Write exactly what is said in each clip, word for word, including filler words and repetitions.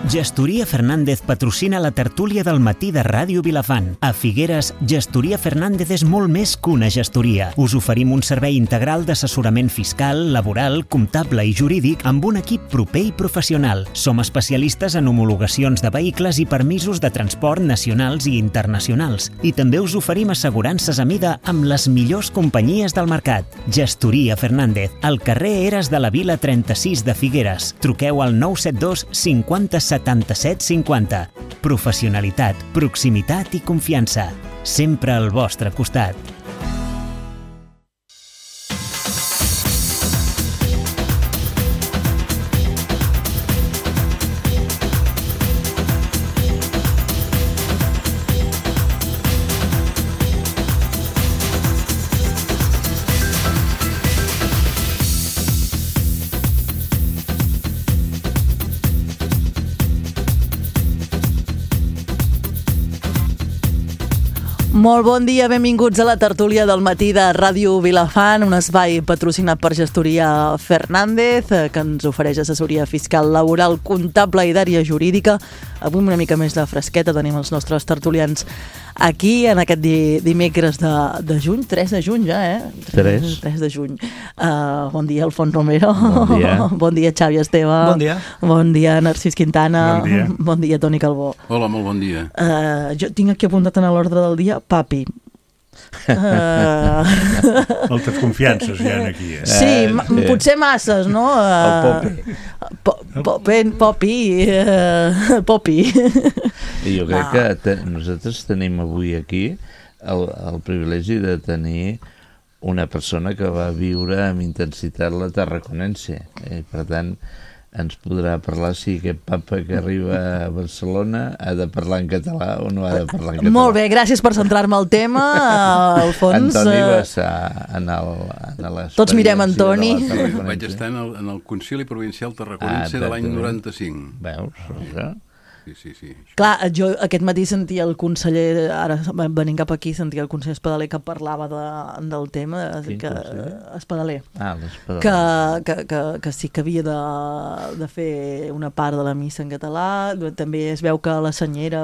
Gestoria Fernández patrocina la tertúlia del matí de Ràdio Vilafant. A Figueres, Gestoria Fernández és molt més que una gestoria. Us oferim un servei integral d'assessorament fiscal, laboral, comptable i jurídic amb un equip proper i professional. Som especialistes en homologacions de vehicles i permisos de transport nacionals i internacionals. I també us oferim assegurances a mida amb les millors companyies del mercat. Gestoria Fernández, al carrer Eres de la Vila trenta-sis de Figueres. Truqueu al nou set dos cinquanta setanta-set cinquanta. Professionalitat, proximitat i confiança. Sempre al vostre costat. Molt bon dia, benvinguts a la tertúlia del matí de Ràdio Vilafant, un espai patrocinat per Gestoria Fernández, que ens ofereix assessoria fiscal, laboral, comptable i d'àrea jurídica. Avui una mica més de fresqueta, tenim els nostres tertulians aquí en aquest di dimecres de, de juny, tres de juny ja, eh? tres. tres de juny. Uh, bon dia, Alfons Romero. Bon dia. Bon dia, Xavi Esteve. Bon dia. Bon dia, Narcís Quintana. Bon dia. Bon dia, Toni Calbó. Hola, molt bon dia. Uh, jo tinc aquí apuntat en l'ordre del dia, papi. Uh... Moltes confiances hi ha aquí. Eh? Sí, Eh, sí. potser masses, no? Uh... El Popi. Po Popi, Popi, uh... Popi. I jo crec No. que te nosaltres tenim avui aquí el, el privilegi de tenir una persona que va viure amb intensitat la tarraconense. Eh? Per tant, ens podrà parlar si aquest papa que arriba a Barcelona ha de parlar en català o no ha de parlar en català. Molt bé, gràcies per centrar-me al tema, Alfons. Antoni uh, va estar en el... En Tots mirem Antoni. Vaig estar en el, en el Concili Provincial Tarraconense Ah, de l'any exactament. noranta-cinc. Veus? Això? Sí, sí, sí. Clar, jo aquest matí sentia el conseller, ara venint cap aquí, sentia el conseller Espadaler que parlava de, del tema, Quin que, conseller? Espadaler. Ah, l'espadó. Que, que, que, que sí que havia de, de fer una part de la missa en català. També es veu que la senyera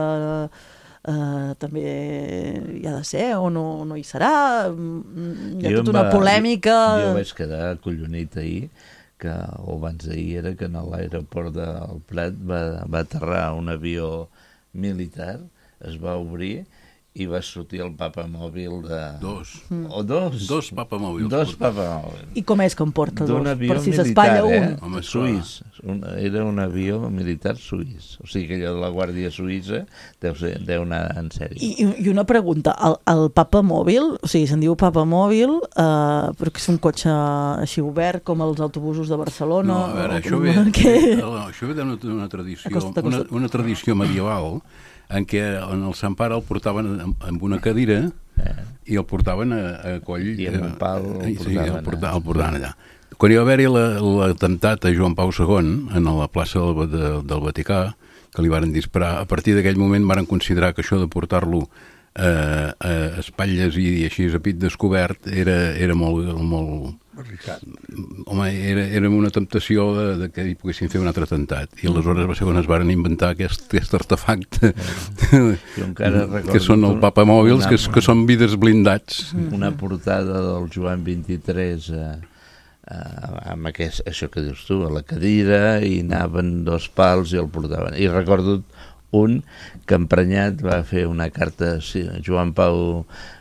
eh, també hi ha de ser o no, no hi serà. Hi ha Jo tota em una va- polèmica. Jo, jo vaig quedar acollonit ahir, que, o abans d'ahir era que a l'aeroport del Prat va, va aterrar un avió militar, es va obrir i va sortir el papa mòbil de... Dos. O dos? Dos papamòbils. Dos papamòbils. I com és que em porta dos? D'un avió Per si militar, s'espatlla eh? un. Home, esclar. Suís. Un, era un avió militar suís. O sigui que allò de la Guàrdia Suïssa deu, ser, deu anar en sèrio. I, I una pregunta, el, el papa mòbil, o sigui, se'n diu papa mòbil, eh, però que és un cotxe així obert com els autobusos de Barcelona? No, a veure, o això com- ve, que... no, això ve d'una una tradició, Acosta't, una, acosta't. una tradició medieval en què en el Sant Pare el portaven amb, amb una cadira Eh. i el portaven a, a coll. I amb un pal el eh, sí, portaven el, porta, allà. el portaven allà. Quan hi va haver-hi l'atemptat a Joan Pau segon en la plaça del, de, del Vaticà, que li varen disparar, a partir d'aquell moment varen considerar que això de portar-lo eh, a espatlles i, i així a pit descobert era, era molt, molt, home, era, era una temptació de, de que hi poguessin fer un altre atemptat. I aleshores va ser quan es varen inventar aquest, aquest artefacte Jo encara recordo que són el papamòbils, una- que, és- que són vidres blindats. una portada del Joan vint-i-tres eh, eh, amb aquest, això que dius tu, a la cadira, i anaven dos pals i el portaven. I recordo un que emprenyat va fer una carta, sí, Joan Pau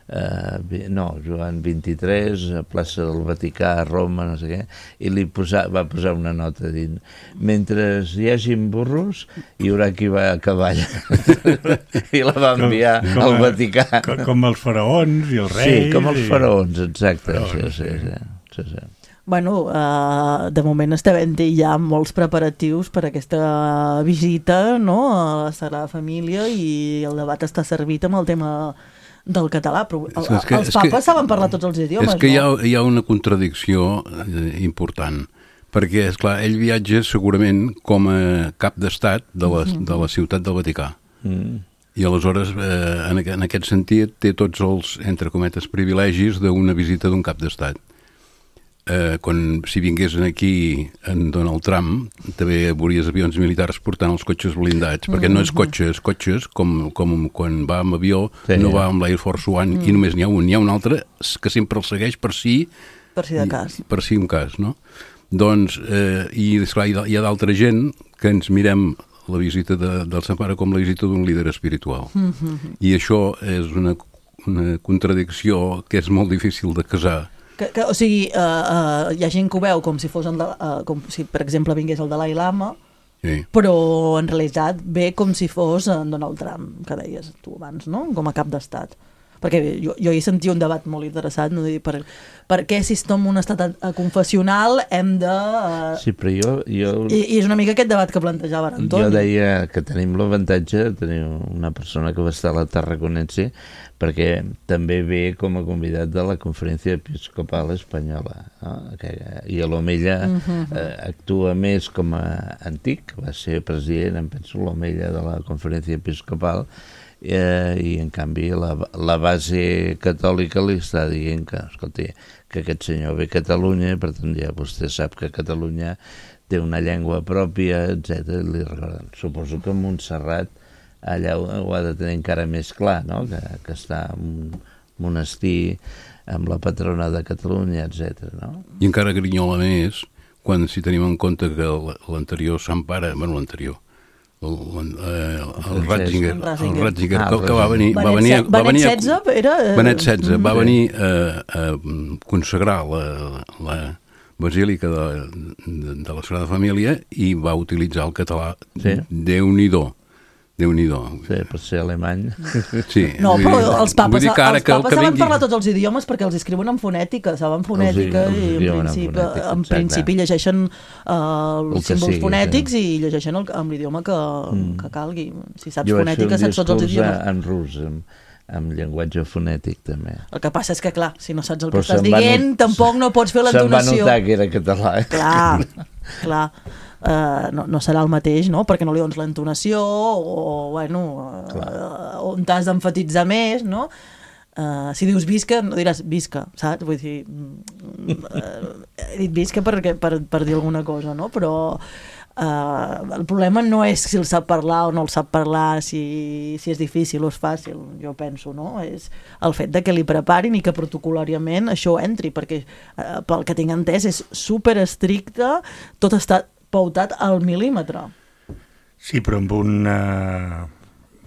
eh, vi- no, Joan vint-i-tres a plaça del Vaticà a Roma, no sé què, i li posa, va posar una nota dient: mentre hi hagin burros hi haurà qui va a cavall. I la va enviar Com- com al a- Vaticà. Com, com els faraons i els reis. Sí, com els i- faraons, exacte. Faraons, sí, sí, sí. sí, sí, sí. Bueno, uh, de moment estem havent-hi ja molts preparatius per aquesta visita, no?, a la Sagrada Família, i el debat està servit amb el tema del català. Però el, És que- els és que- papes saben parlar tots els idiomes, És que hi ha, no? hi ha una contradicció eh, important, perquè, és clar, ell viatja segurament com a cap d'estat de, la, de la ciutat del Vaticà. Mm. I aleshores, eh, en, aqu en aquest sentit, té tots els, entre cometes, privilegis d'una visita d'un cap d'estat. eh, quan, si vingués aquí en Donald Trump, també veuries avions militars portant els cotxes blindats, perquè no és cotxes, cotxes, com, com quan va amb avió, sí, no va amb l'Air Force One, mm. i només n'hi ha un. N'hi ha un altre que sempre el segueix per si... Per si de cas. Per si un cas, no? Doncs, eh, i esclar, hi ha d'altra gent que ens mirem la visita de, del Sant Pare com la visita d'un líder espiritual. Mm-hmm. I això és una, una contradicció que és molt difícil de casar. Que, que, o sigui, uh, uh, hi ha gent que ho veu com si fos, el de, uh, com si, per exemple, vingués el Dalai Lama, sí, però en realitat ve com si fos en Donald Trump, que deies tu abans, no? Com a cap d'estat. Perquè jo, jo hi sentia un debat molt interessat, no? per, per què si estem en un estat confessional hem de... Uh... Sí, però jo... jo... I, I és una mica aquest debat que plantejava Antoni. Jo deia que tenim l'avantatge de tenir una persona que va estar a la Tarraconense, perquè també ve com a convidat de la Conferència Episcopal Espanyola, no? Que, i a l'Omella uh-huh. eh, actua més com a antic, va ser president, em penso, l'Omella de la Conferència Episcopal, Eh, i en canvi la, la base catòlica li està dient que, escolti, que aquest senyor ve a Catalunya, per tant ja vostè sap que Catalunya té una llengua pròpia, etcètera. Li recorden. Suposo que Montserrat allà ho, ho ha de tenir encara més clar, no? que, que està en un monestir amb la patrona de Catalunya, etcètera. No? I encara grinyola més quan si tenim en compte que l'anterior Sant Pare, bueno, l'anterior, el, el, el Ratzinger, el Ratzinger ah, que, que va venir... Benet, va venir, va venir Benet setze era... Benet setze va venir a, a consagrar la, la basílica de, de, de la Sagrada Família i va utilitzar el català. Sí. Déu-n'hi-do. Déu-n'hi-do. Sí, per ser alemany. Sí. No, però els papes, els papes que, que saben vingui... parlar tots els idiomes perquè els escriuen en fonètica, saben fonètica els, els i en principi, en fonètica, en principi llegeixen uh, els símbols sigui, fonètics sí. i llegeixen el, amb l'idioma que, mm. que calgui. Si saps jo fonètica, saps tots els idiomes. En rus, amb, amb llenguatge fonètic també. El que passa és que, clar, si no saps el però que estàs dient, not... tampoc no pots fer l'entonació. Se'n va notar que era català. Clar, clar. Uh, no, no serà el mateix, no? Perquè no li dones l'entonació o, bueno, uh, on t'has d'emfatitzar més, no? Uh, si dius visca, no diràs visca, saps? Vull dir, uh, he dit visca per, per, per dir alguna cosa, no? Però uh, el problema no és si el sap parlar o no el sap parlar, si, si és difícil o és fàcil, jo penso, no? És el fet de que li preparin i que protocolàriament això entri, perquè uh, pel que tinc entès és super estricte, tot està pautat al mil·límetre. Sí, però amb un, uh,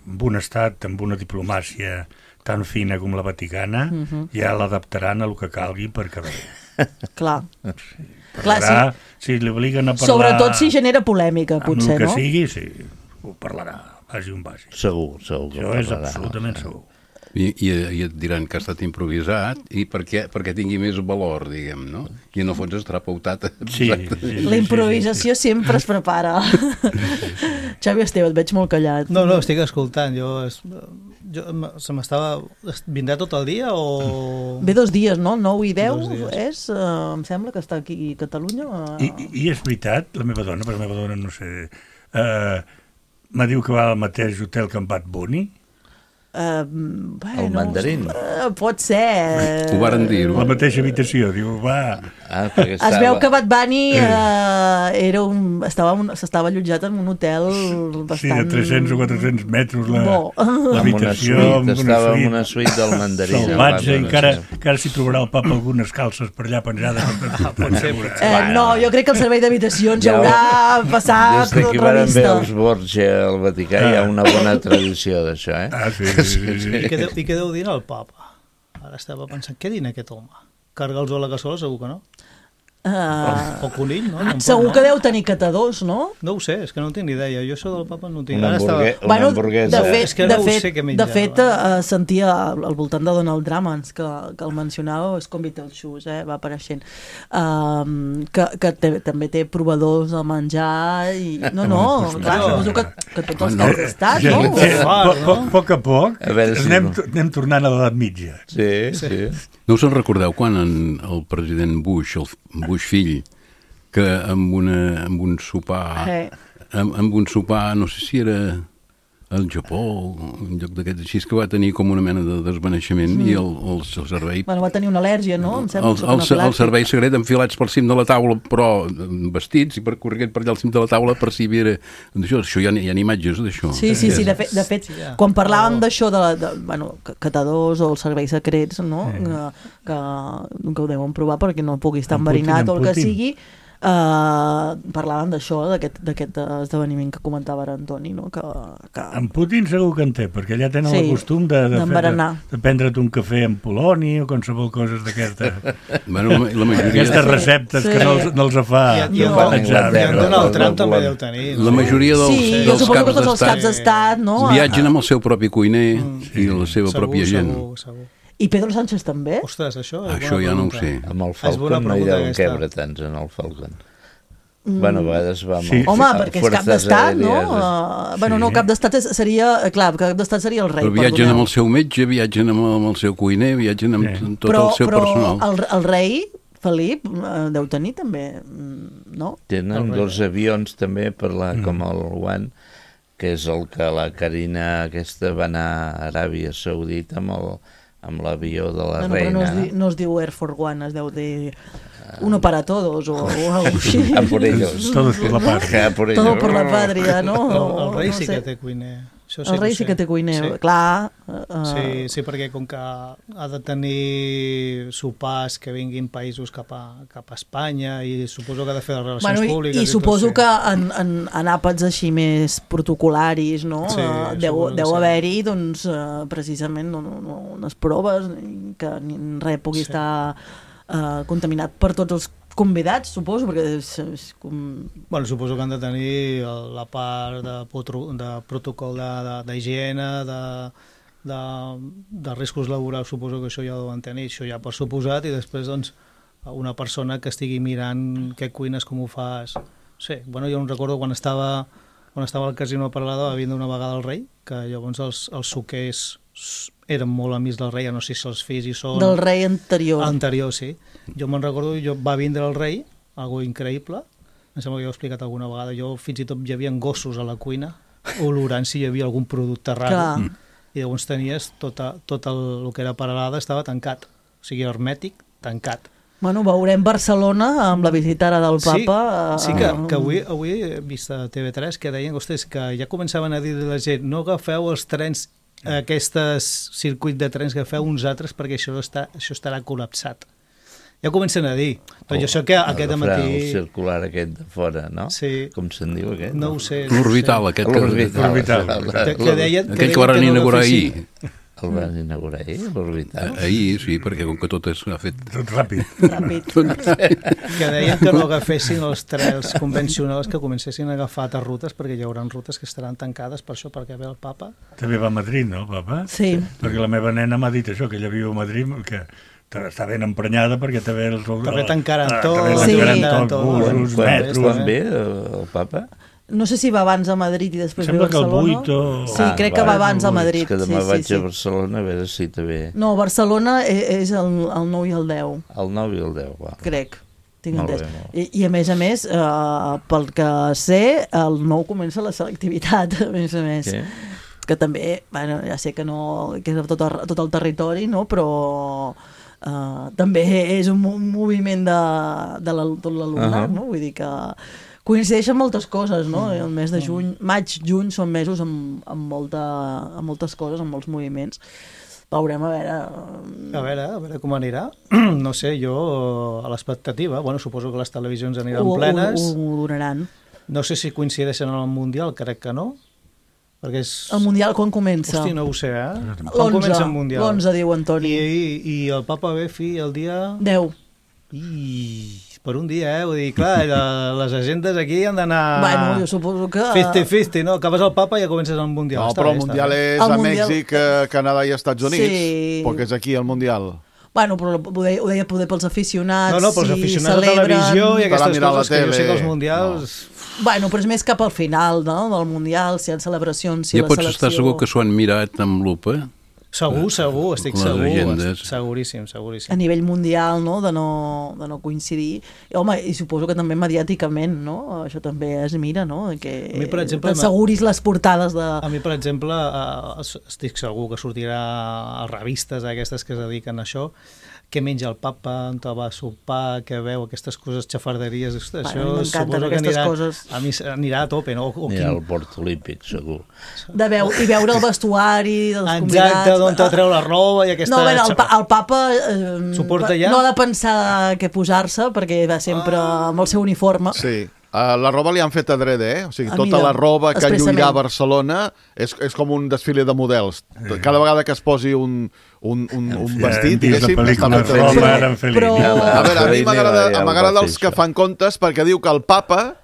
amb un estat, amb una diplomàcia tan fina com la Vaticana, uh-huh. ja l'adaptaran a el que calgui per quedar bé. Clar. Sí. Parlarà, sí. Si li obliguen a parlar... Sobretot si genera polèmica, potser, no? Amb el que no? sigui, sí, ho parlarà, vagi on vagi. Segur, segur. Això és absolutament no? segur. I, i, i et diran que ha estat improvisat i perquè, perquè tingui més valor, diguem, no? I en el fons estarà pautat. Sí, sí, sí, la improvisació sí, sí. sempre es prepara. Sí, sí. Xavi Esteve, et veig molt callat. No, no, estic escoltant. Jo, es, jo se m'estava... Vindrà tot el dia o...? Ve dos dies, no? nou i deu és... Uh, em sembla que està aquí a Catalunya. Uh... I, I és veritat, la meva dona, però la meva dona no sé... Uh, me diu que va al mateix hotel que en Bad Bunny. Uh, bueno, el mandarín uh, pot ser ho varen dir la mateixa habitació, diu va ah, es estava... veu que Bad Bunny uh, era un, estava un, s'estava allotjat en un hotel bastant... sí, de tres-cents o quatre-cents metres la, bo. L'habitació amb una suite, estava en una suite del mandarín salvatge, encara, encara s'hi trobarà el papa algunes calces per allà penjades ah, pot ser, eh, no, jo crec que el servei d'habitacions ja haurà passat des que van veure els Borgia al Vaticà ah. hi ha una bona tradició d'això, eh? Ah, sí, sí, sí, sí. I, què deu, I què deu dir el papa? Ara estava pensant, què dina aquest home? Cargar-los a la cassola segur que no? Uh, o conill, no? no segur no? que deu tenir catadors, no? No ho sé, és que no tinc ni idea. Jo això del papa no tinc. Una, hamburgue estava... una bueno, hamburguesa. De fet, és que de no fet, sé què menjar. De fet, uh, sentia al voltant de Donald Drummond, que, que el mencionava, és com Beetlejuice, eh? Va apareixent, um, que, que té, també té provadors de menjar i... No, no, clar, suposo que, que tots els no, caps d'estat, ja, no? Ja, a poc, poc a poc a veure, si anem, no. anem tornant a l'edat mitja. Sí, sí. No us en recordeu quan en el president Bush, el Bush fill, que amb, una, amb un sopar hey. amb, amb un sopar, no sé si era al Japó, un lloc d'aquests així, que va tenir com una mena de desvaneixement mm. i el, el, el servei... Bueno, va tenir una al·lèrgia, no? Em sembla, el, el, el servei secret enfilats pel cim de la taula, però vestits, i per corrent per allà al cim de la taula per si hi havia... Això, això hi ha, hi ha imatges d'això. Sí, sí, sí, de fet, de fet sí, quan parlàvem d'això, de, de, bueno, catadors o els serveis secrets, no? Sí. Que, que, que ho deuen provar perquè no pugui estar enverinat o el que sigui... Uh, parlàvem d'això, d'aquest esdeveniment que comentava ara Antoni, no? que, que... En Putin segur que en té, perquè allà tenen sí, el costum de, de, de, de prendre't un cafè amb poloni o qualsevol coses d'aquesta bueno, la, la majoria... aquestes receptes sí. que no els, no els fa i no, no, Donald Trump també deu tenir la majoria dels, sí, dels caps d'estat els caps d'estat no? viatgen amb el seu propi cuiner mm, i la seva segur, pròpia gent segur, segur. I Pedro Sánchez també? Ostres, això, això ja no ho sé. Amb el Falcon no hi deuen quebre tants en el Falcon. Mm. Bueno, a vegades va amb sí. Home, perquè és cap d'estat, no? Uh, bueno, sí. no, cap d'estat seria... Clar, cap d'estat seria el rei. Però viatgen amb el seu metge, viatgen amb el, amb el seu cuiner, viatgen amb sí. tot però, el seu però personal. Però el, el rei, Felip, deu tenir també, no? Tenen dos avions també per la, mm. com el One, que és el que la Carina aquesta va anar a Aràbia Saudita amb el amb l'avió de la no, no, reina. No es, di, no es diu Air Force One, es deu dir uno para todos o, o algo així. A por ellos. Todos por la patria. Por Todo por la patria, no? El, el rei no sí sé. que té cuiner. Això sí el rei sí que té cuiner, sí. clar. Uh, sí, sí, perquè com que ha de tenir sopars que vinguin països cap a, cap a Espanya i suposo que ha de fer les relacions bueno, públiques. I, i suposo tot, sí. que en, en, en àpats així més protocolaris, no? Sí, uh, deu deu sí. haver-hi, doncs, uh, precisament no, no, unes proves que ni res pugui sí. estar uh, contaminat per tots els convidats, suposo, perquè és, és com... Bueno, suposo que han de tenir la part de, de protocol d'higiene, de, de, de, de riscos laborals, suposo que això ja ho deuen tenir, això ja per suposat, i després, doncs, una persona que estigui mirant què cuines, com ho fas... Sí, bueno, jo em recordo quan estava, quan estava al Casino de Peralada, va vindre una vegada el rei, que llavors els, els suquers eren molt amics del rei, no sé si els fills hi són... Del rei anterior. Anterior, sí. Jo me'n recordo, jo va vindre el rei, algo increïble, em sembla que ja ho he explicat alguna vegada, jo fins i tot hi havia gossos a la cuina, olorant si hi havia algun producte raro, i llavors tenies tot, a, tot el, el que era Peralada estava tancat, o sigui, hermètic, tancat. Bueno, veurem Barcelona amb la visita ara del papa. Sí, sí que, que avui, avui he vist a T V tres que deien, ostres, que ja començaven a dir a la gent, no agafeu els trens, aquests circuits de trens que feu uns altres perquè això, està, això estarà col·lapsat. Ja comencen a dir, però jo sé que aquest matí... El circular aquest de fora, no? Sí. Com se'n diu aquest? No ho sé. L'orbital, aquest. L'orbital. Aquell que van inaugurar ahir. El van inaugurar ahir, l'orbital? Ahir, sí, perquè com que tot s'ha fet... Tot ràpid. Ràpid. Que deien que no agafessin els trens convencionals, que comencessin a agafar altres rutes, perquè hi haurà rutes que estaran tancades per això, perquè ve el papa. També va a Madrid, no, el papa? Sí. Perquè la meva nena m'ha dit això, que ella viu a Madrid, que està ben emprenyada perquè també... Els, també tancaren tot. Sí. Tot, busos, metros. Quan ve el papa? No sé si va abans a Madrid i després ve a Barcelona. Sembla que el vuit o... Sí, ah, crec que va abans a Madrid. És que demà sí, vaig sí, sí. a Barcelona a veure si també... No, Barcelona és el, el nou i el deu. El nou i el deu, va. Crec, tinc entès. I, I a més a més, uh, pel que sé, el nou comença la selectivitat, a més a més. Què? Que també, bueno, ja sé que no que és tot, el, tot el territori, no? Però uh, també és un, un moviment de, de la, tot l'alumnat, uh -huh. no? Vull dir que coincideixen moltes coses, no? El mes de juny, maig, juny són mesos amb, amb, molta, amb moltes coses, amb molts moviments. Veurem a veure... A veure, a veure com anirà. No sé, jo a l'expectativa, bueno, suposo que les televisions aniran ho, plenes. Ho, ho donaran. No sé si coincideixen en el Mundial, crec que no. Perquè és... El Mundial quan comença? Hosti, no ho sé, eh? Quan comença el Mundial? l'onze, diu Antoni. I, i, I el papa ve fi el dia... deu. I... per un dia, eh? Vull dir, clar, les agendes aquí han d'anar... Bueno, jo suposo que... cinquanta-cinquanta, no? Acabes el papa i ja comences el Mundial. No, està però bé, el Mundial és el a mundial... Mèxic, Canadà i Estats Units, sí. perquè és aquí el Mundial. Bueno, però ho deia, ho deia poder pels aficionats. No, no, pels aficionats celebren... de televisió i aquestes coses que jo sé que els Mundials... No. Bueno, però és més cap al final, no?, del Mundial, si hi ha celebracions, si ja la pots selecció... estar segur que s'ho han mirat amb lupa Segur, segur, estic Les segur. agendes. Seguríssim, A seguríssim. nivell mundial, no?, de no, de no coincidir. I, home, i suposo que també mediàticament, no?, això també es mira, no?, que A mi, per exemple, t'asseguris les portades de... A mi, per exemple, eh, estic segur que sortirà a revistes aquestes que es dediquen a això, què menja el papa, on va a sopar, què veu, aquestes coses, xafarderies, Bueno, això a mi m'encanten suposo que aquestes anirà, coses. a mi anirà a tope, no? O, o Anirà quin... al port olímpic, segur. de veu, i veure el vestuari dels convidats. Exacte, d'on te treu la roba i aquesta... No, a veure, el, pa, el papa eh, S'ho porta ja? no ha de pensar què posar-se, perquè va sempre Ah. amb el seu uniforme. Sí. Uh, la roba li han fet adrede, eh? O sigui, Ah, tota mira, la roba que expressament. lluirà a Barcelona és, és com un desfile de models. Cada vegada que es posi un, un, un, un vestit, Dins la diguéssim, pel·lícula està Roma, fet. en Fellini. Però- A veure, a mi Fellini m'agrada ja el va m'agrada fer els que això. fan comptes perquè diu que el papa,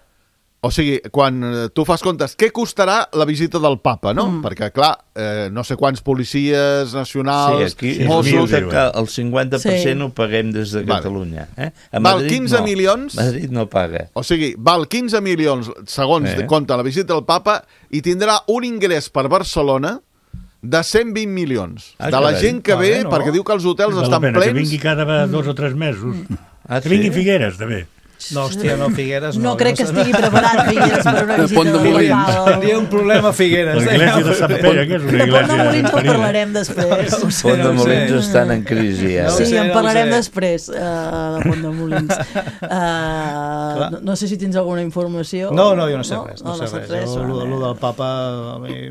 o sigui, quan eh, tu fas comptes, què costarà la visita del papa, no? Mm. Perquè, clar, eh, no sé quants policies Sí, nacionals, aquí sí, Mossos... mil, resulta diuen. que el cinquanta per cent Sí. ho paguem des de Vale. Catalunya. Eh? A Val Madrid quinze no. milions. Madrid no paga. O sigui, val quinze milions, segons Eh. eh. compta la visita del papa, i tindrà un ingrés per Barcelona de cent vint milions. Ah, de la carai. gent que Ah, ve, bé, no? perquè diu que els hotels Val la estan pena que plens. vingui cada dos o tres mesos. Ah, Que vingui sí? Figueres, també. No, hòstia, no, Figueres no. No, crec que sé. estigui preparat Figueres per una De visita Pont de Molins. papal. Tindria un problema a Figueres. L'església de Sant Pere, que és una De Pont de església Molins en petita. parlarem després. No ho sé, Pont de no ho Molins sé. estan en crisi, eh? No ho Sí, sé, en no ho parlarem sé. després, uh, de Pont de Molins. Uh, no, no sé si tens alguna informació. No, no, jo no sé res, no, sé saps res. Jo, lo, vale. lo del papa... A mi...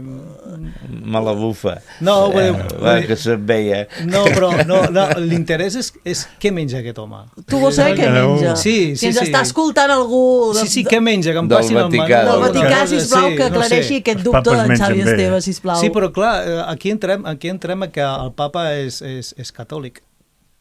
Me la bufa. No, vull eh, dir- va, que se't veia. No, però no, no, l'interès és, és què menja aquest home. Tu vols saber què menja? Sí, sí, Si ens sí. està escoltant algú... De, Sí, sí, què menja? Que em Del passin el Vaticà, del del Vaticà, cosa, sisplau, sí, que no sé. aclareixi aquest Els dubte papes d'en Xavi mengen bé. Esteve, sisplau. Sí, però clar, eh, aquí entrem, aquí entrem a que el papa és, és, és catòlic.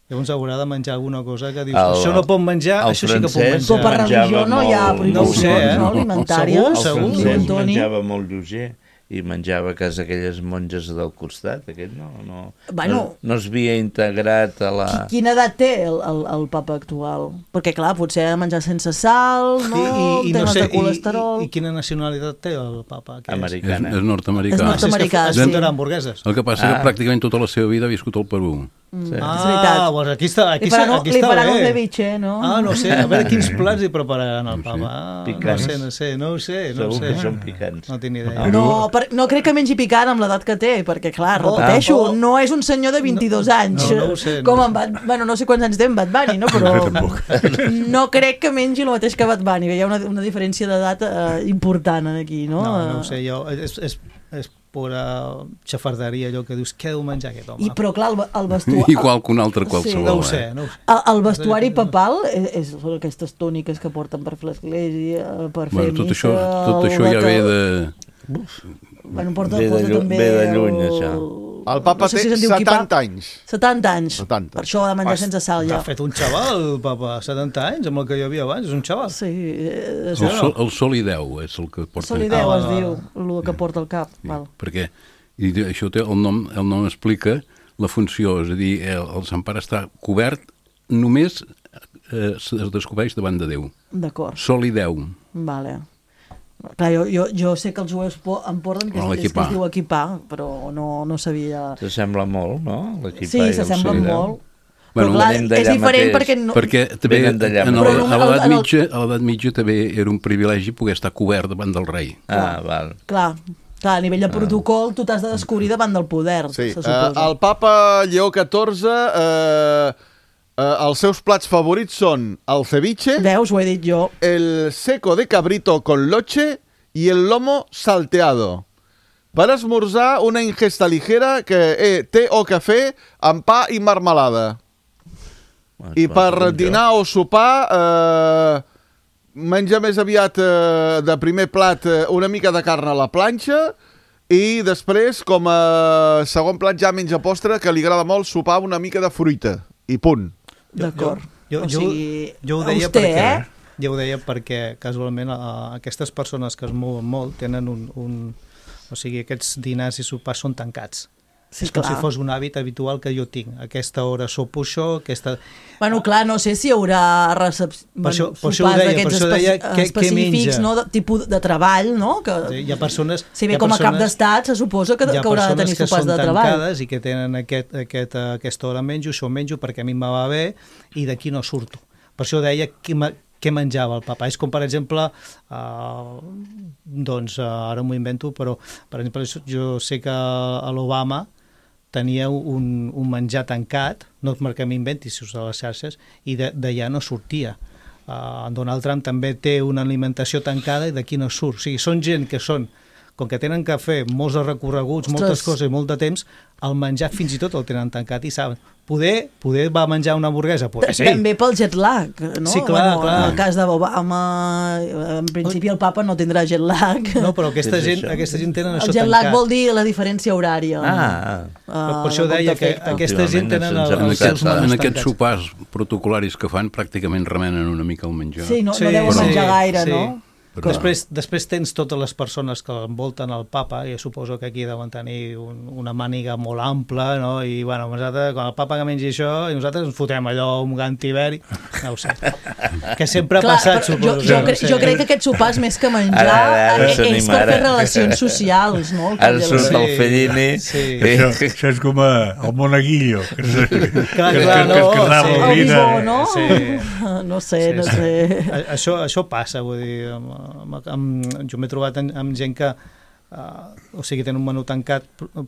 Llavors haurà de menjar alguna cosa que dius, El- això no pot menjar, el això sí que pot francès Però per menjar. menjava religió no hi ha molt- No ho sé, prohibicions eh? no, alimentàries. El Segur, diu francès Antoni. menjava molt lleuger i menjava a casa aquelles monges del costat. Aquest no, no, Bueno. no, no es havia integrat a la... Qui- Quina edat té el, el, el papa actual? Perquè, clar, potser ha de menjar sense sal, no? I, i, no temes sé, de colesterol... i, i quina nacionalitat té el papa? Què és? És, Americana. és nord-americà. És Ah, nord-americà, sí, és sí. que es foten hamburgueses. El que passa Ah. que pràcticament tota la seva vida ha viscut al Perú. Sí. És Ah, veritat. doncs aquí està, aquí, Li faran, està, aquí li està faran un bé. ceviche, no? Ah, no sé, a veure quins plats hi prepararan al papa. Ah, no Picants. sé, no sé, no ho sé, no ho Segur sé. que són picants. No tinc ni idea. No, per, no crec que mengi picant amb l'edat que té, perquè, clar, Oh, repeteixo, oh. no és un senyor de vint-i-dos anys. no, no ho sé, no com ho en Bad, bueno, no sé quants anys té en Bad Bunny, no? Però no crec que mengi el mateix que Bad Bunny. Hi ha una, una diferència d'edat eh, important aquí, no? No, no ho sé, jo, és, és, és pura xafarderia allò que dius, què deu menjar aquest home? I, però, clar, el, el vestuari... Igual que un altre qualsevol. No ho eh? sé, no ho sé. El, el vestuari papal és, és són aquestes túniques que porten per fer l'església, per fer Bueno, tot missa... això, tot això ja ve de... Bueno, porta, Ve de porta llu- també ve de lluny, el... això. El papa no sé té si se'n diu setanta quipà. anys. setanta anys. setanta. Per això ha de menjar sense sal, ja. Ha fet un xaval, el papa, setanta anys, amb el que hi havia abans, és un xaval. Sí, eh, El sol, el sol i deu és el que porta. Solideu Ah, es va, va, diu, el que porta al cap. Sí, Val. perquè i això té, el, nom, el nom explica la funció, és a dir, el, el Sant Pare està cobert, només eh, es descobreix davant de Déu. D'acord, Sol i Déu. vale. Clar, jo, jo, jo sé que els jueus po- em porten que, No, es, és, que l'equipà. es diu equipar, però no, no sabia... S'assembla molt, no? L'equipà Sí, i el s'assemblen Solideu. molt. Bueno, però clar, venim d'allà és diferent mateix. perquè... No, Perquè també Venen d'allà en mateix. el- Però a en el- l'edat en el- mitja, a l'edat mitja també era un privilegi poder estar cobert davant del rei. Ah, val. clar, clar, a nivell de protocol tu t'has de descobrir davant del poder, Sí. se Uh, suposa. el papa Lleó catorze, uh, uh, els seus plats favorits són el ceviche, Veus, ho he dit jo. el seco de cabrito con loche y el lomo salteado. Per esmorzar, una ingesta ligera que eh, té o cafè amb pa i marmelada. I per dinar o sopar, eh, menja més aviat eh, de primer plat eh, una mica de carn a la planxa i després, com a segon plat, ja menja postre, que li agrada molt sopar una mica de fruita. I punt. D'acord. Jo, O jo, sigui, jo ho deia auster, perquè... eh? Jo ho deia perquè casualment uh, aquestes persones que es mouen molt tenen un, un... O sigui, aquests dinars i sopars són tancats. Sí, és com clar. si fos un hàbit habitual que jo tinc. A aquesta hora sopo això, aquesta... Bueno, clar, no sé si hi haurà recep... Per això- bueno, per això ho sopars deia, per d'aquests això deia espe- què- què específics, menja. no? De tipus de treball, no? Que, Sí, hi ha persones... si hi bé ha com a cap persones- d'estat se suposa que, hi ha que haurà de persones tenir que sopars són de treball. tancades i que tenen aquest, aquest, aquesta hora menjo, això menjo perquè a mi em va bé i d'aquí no surto. Per això deia què, ma, què menjava el papa. És com, per exemple, uh, doncs uh, ara m'ho invento, però per exemple jo sé que a l'Obama tenia un, un menjar tancat, no perquè m'inventi si us a les xarxes, i d'allà no sortia. Uh, en Donald Trump també té una alimentació tancada i d'aquí no surt. O sigui, són gent que són, com que tenen que fer molts recorreguts, Ostres. moltes coses i molt de temps, el menjar fins i tot el tenen tancat i saben. Poder, poder va menjar una hamburguesa, poder sí. També pel jet lag, no? Sí, clar, bueno, clar. En el cas d'Obama, en principi el papa no tindrà jet lag. No, però aquesta És gent, això. aquesta gent tenen El això jet lag tancat. vol dir la diferència horària. Ah, Per, per això deia que aquesta gent tenen el, Últimament els se'ns seus ha- menús En aquests tancats. sopars protocolaris que fan pràcticament remenen una mica el menjar. Sí, no, Sí, no deuen sí, menjar gaire, sí. no? Però- Després, després tens totes les persones que envolten el papa, i suposo que aquí deuen tenir un, una màniga molt ampla, no? I bueno, nosaltres, quan el papa que mengi això, i nosaltres ens fotem allò, un gantiveri, no ho sé. Que sempre ha Clar, passat, però suposo. jo, jo, no cre sé. jo crec que aquest sopar és més que menjar, Ara, ara, ara eh, és s'anima, per fer ara. relacions socials, no? El ara cap surt de la- el Fellini. Sí. Això, això és com a, el monaguillo, que, es- que, Clar, que, clar, que, que es no, quedava sí. el El vida. bisó, no? Sí. No sé, Sí, no sí. sé. A- Això, això passa, vull dir, amb, amb, amb, jo m'he trobat amb, amb gent que uh, o sigui, tenen un menú tancat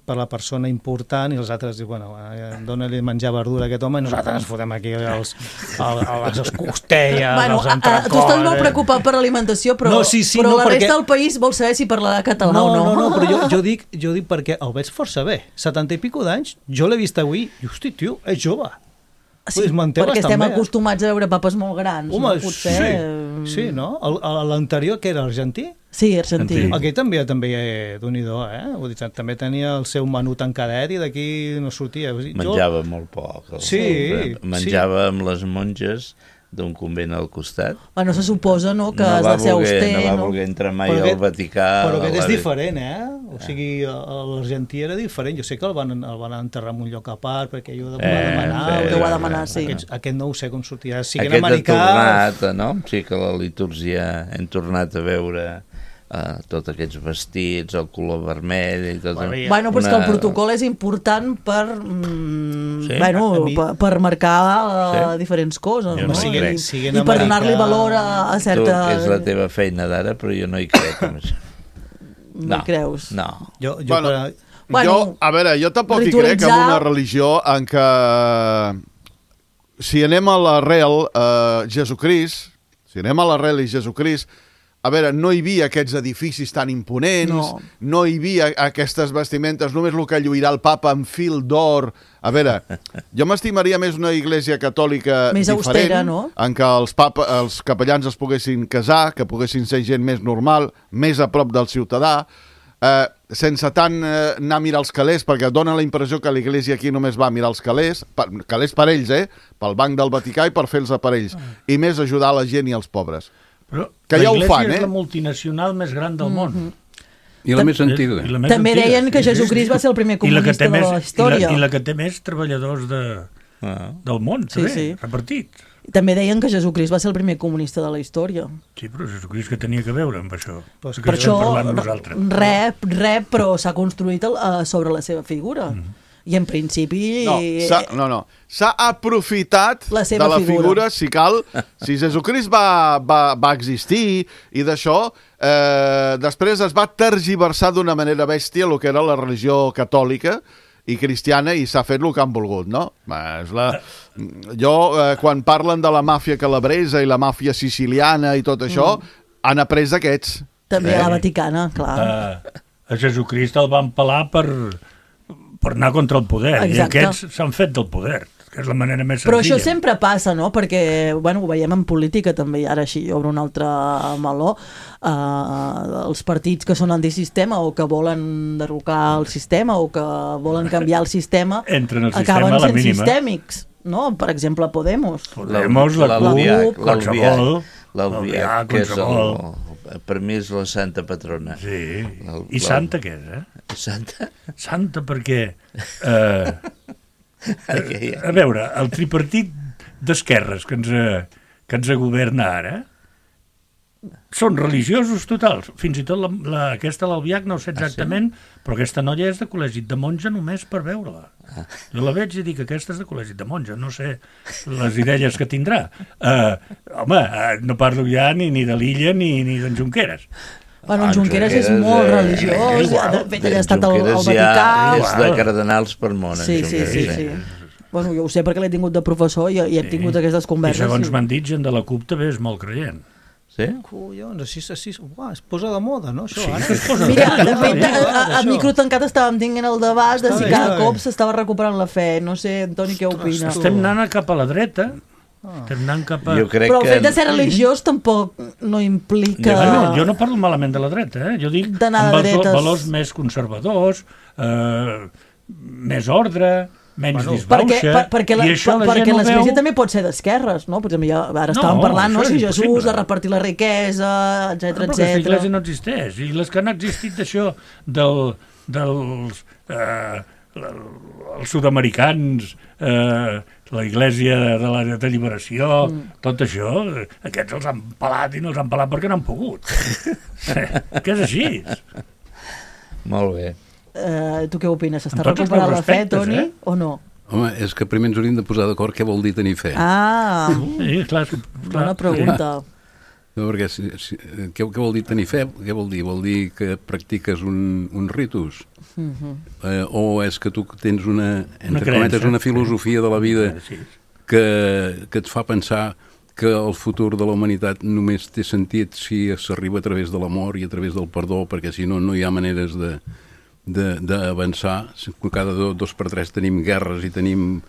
per la persona important i els altres diuen, bueno, eh, dona-li menjar verdura a aquest home i nosaltres ens fotem aquí els, el, el, les costelles, Bueno, els a, a, entrecòs... tu estàs molt preocupat per l'alimentació, però, No, sí, sí, però no, la perquè- resta del país vol saber si parlarà català No, o no. no, no, però jo, jo, dic, jo dic perquè el veig força bé. setanta i pico d'anys, jo l'he vist avui i, hosti, tio, és jove. Sí, Pues manté perquè bastant estem bé, eh? acostumats a veure papes molt grans, Home, no? Potser... sí, sí, no? El- el- L'anterior, que era argentí, Sí, argentí. Sí. aquell també, també eh, d'un-i-do, eh? Vull dir, també tenia el seu menú tancadet i d'aquí no sortia. Vull dir, jo- Menjava molt poc. el- Sí, el- Menjava amb les monges d'un convent al costat. Bueno, se suposa, no?, que no has va de ser voler, auster, no va no? voler entrar mai Però al aquest- Vaticà. Però aquest a és la- diferent, eh? O sigui, l'argentí era diferent. Jo sé que el van, el van enterrar en un lloc a part perquè ell ho va Eh, demanar. sí, Que ho va demanar, sí. Aquest, aquest no ho sé com sortirà. Si Aquest americà... ha tornat, no? Sí que la litúrgia hem tornat a veure uh, tots aquests vestits, el color vermell i tot. Bueno, ja- Bueno, però és que el una- protocol és important per, mm, Sí? bueno, A mi- per, per marcar uh, Sí. diferents coses, Jo no? no hi I, crec. Siguin I per americà- donar-li valor a, a Tu, certa... que és la teva feina d'ara, però jo no hi crec en això. No hi creus? No. Jo, jo Bueno, per... Bueno, jo, a veure, jo tampoc hi crec ritualitzar- en una religió en què, si anem a l'arrel, eh, Jesucrist, si anem a l'arrel i Jesucrist, a veure, no hi havia aquests edificis tan imponents, No. no hi havia aquestes vestimentes, només el que lluirà el papa amb fil d'or. A veure, jo m'estimaria més una iglesia catòlica Més diferent, austera, no? en què els, papa, els capellans es poguessin casar, que poguessin ser gent més normal, més a prop del ciutadà, eh, sense tant eh, anar a mirar els calés, perquè dona la impressió que l'església aquí només va a mirar els calés, per, calés per ells, eh? Pel Banc del Vaticà i per fer-los per ells, i més ajudar la gent i els pobres. Però Que la ja ho Iglésia fan, és eh? la multinacional més gran del món. I la més antiga. I la més També antiga. deien que Sí, sí, Jesucrist sí. va ser el primer I la que comunista té de la més- història. I la, I la que té més treballadors de, Ah. del món, Sí, també, sí. repartits. També deien que Jesucrist va ser el primer comunista de la història. Sí, però Jesucrist que tenia que veure amb això. Pues Que Per estem això, parlant nosaltres. res, res, però s'ha construït el, uh, sobre la seva figura. Mm. I en principi... No, s'ha no, no. s'ha aprofitat La seva de la figura. figura, si cal. Si Jesucrist va, va, va existir i d'això, eh, després es va tergiversar d'una manera bèstia el que era la religió catòlica i cristiana i s'ha fet el que han volgut, no? Va, És la... Jo, eh, quan parlen de la màfia calabresa i la màfia siciliana i tot això, han après d'aquests. També a la Vaticana, clar. A, a Jesucrist el van pelar per, per anar contra el poder. Exacte. I aquests s'han fet del poder, que és la manera més Però senzilla. això sempre passa, no? Perquè, bueno, ho veiem en política també, i ara així obre un altre meló. Uh, els partits que són antisistema o que volen derrocar el sistema o que volen canviar el sistema Entren al sistema acaben a la sent mínima. sistèmics, no? Per exemple, Podemos. Podemos, la L'Albiach, CUP, qualsevol. L'Albiach, que és qualsevol. el, per mi és la santa patrona. Sí. El- I la- santa què és, eh? Santa? Santa perquè... Eh, a veure, el tripartit d'esquerres que ens, que ens governa ara són religiosos totals. Fins i tot la, la, aquesta l'Albiach no ho sé exactament, ah, sí? Però aquesta noia és de col·legi de monja només per veure-la. Ah. Jo la veig i dic que aquesta és de col·legi de monja, no sé les idees que tindrà. Uh, home, uh, no parlo ja ni, ni de l'Illa ni, ni d'en Junqueras. Bueno, en Junqueras és molt eh, religiós, igual, de fet ell ha estat al, al Vaticà. Ja és de cardenals per món. Sí, sí, sí, sí, sí. Bueno, jo ho sé perquè l'he tingut de professor i, i he tingut sí. aquestes converses. I segons i... m'han dit, gent de la CUP també és molt creient. Sí? Collons, així, així, uah, es posa de moda, no, això, sí, ara? Es posa Mira, de fet, a, a, a micro tancat estàvem tinguent el debat de si cada cop s'estava recuperant la fe. No sé, Antoni, què opina? Estem anant cap a la dreta, ah. estem anant cap a... Però el fet de ser religiós tampoc no implica... Ja, no, jo no parlo malament de la dreta, eh? Jo dic amb els valors més conservadors, eh, més ordre... menys bueno, disbauxa, perquè, per, perquè la, i això la perquè gent l'església veu... també pot ser d'esquerres, no? Per exemple, ja, ara estàvem no, parlant, no? Si Jesús, impossible. de repartir la riquesa, etcètera, no, però etcètera. aquesta església no existeix, i les que han existit d'això del, dels eh, els sud-americans, eh, la Iglésia de la de Lliberació, mm. tot això, aquests els han pelat i no els han pelat perquè no han pogut. Que és així. Molt bé. Uh, tu què opines? S'està recuperant la fe, Toni, eh? O no? Home, és que primer ens hauríem de posar d'acord què vol dir tenir fe. Ah, sí, clar, clar. Bona pregunta. No, perquè si, si, què, què vol dir tenir fe? Què vol dir? Vol dir que practiques un, un ritus? Uh-huh. Eh, o és que tu tens una, entre cometes, una filosofia de la vida que, que et fa pensar que el futur de la humanitat només té sentit si s'arriba a través de l'amor i a través del perdó, perquè si no, no hi ha maneres de... d'avançar. Cada dos, dos per tres tenim guerres i tenim,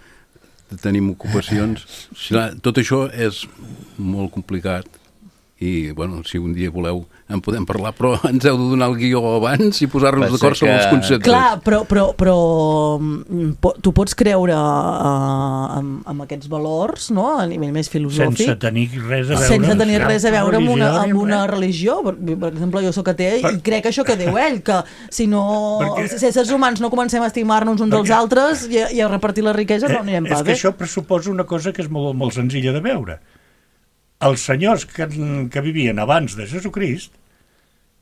tenim ocupacions. Tot això és molt complicat i, bueno, si un dia voleu en podem parlar, però ens heu de donar el guió abans i posar-nos d'acord sobre els conceptes. Clar, però, però, però tu pots creure uh, amb, amb aquests valors, no?, a nivell més filosòfic. Sense tenir res a veure. Sense tenir res a veure amb una, amb una religió. Per, per exemple, jo soc atea i crec això que diu ell, que si no, si éssers humans no comencem a estimar-nos uns als altres i, i a repartir la riquesa, no anirem pas bé. És que això pressuposa una cosa que és molt, molt senzilla de veure. Els senyors que, que vivien abans de Jesucrist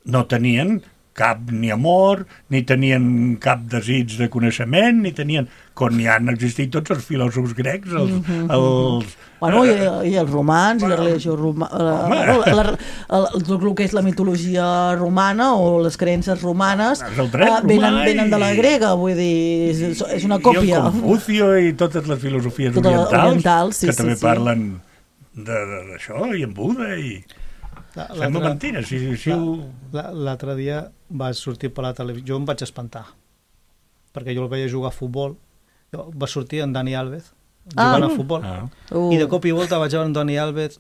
no tenien cap ni amor, ni tenien cap desig de coneixement, ni tenien... Com hi han existit tots els filòsofs grecs, els... Mm-hmm. els bueno, i, i els romans, bueno, i la religió romana... La, la, el, el que és la mitologia romana o les creences romanes uh, venen, venen de la grega, vull dir, és, és una còpia. I el Confucio i totes les filosofies totes orientals, orientals sí, que sí, també sí. parlen d'això, i en Buda, i... Sembla mentira, si, si ho... L'altre dia va sortir per la televisió, jo em vaig espantar, perquè jo el veia jugar a futbol, va sortir en Dani Alves, jugant ah, a futbol, ah. uh. i de cop i volta vaig veure en Dani Alves,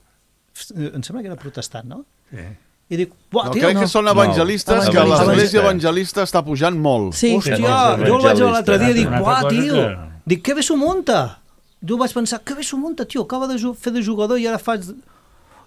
em sembla que era protestant, no? Sí. I dic, uah, no, tio, crec no. que són evangelistes, no. que l'església evangelista està pujant molt. Sí. Hòstia, jo el vaig veure l'altre dia i dic, uah, tio, dic, que bé s'ho munta. Jo vaig pensar, que bé s'ho munta, tio, acaba de fer de jugador i ara faig...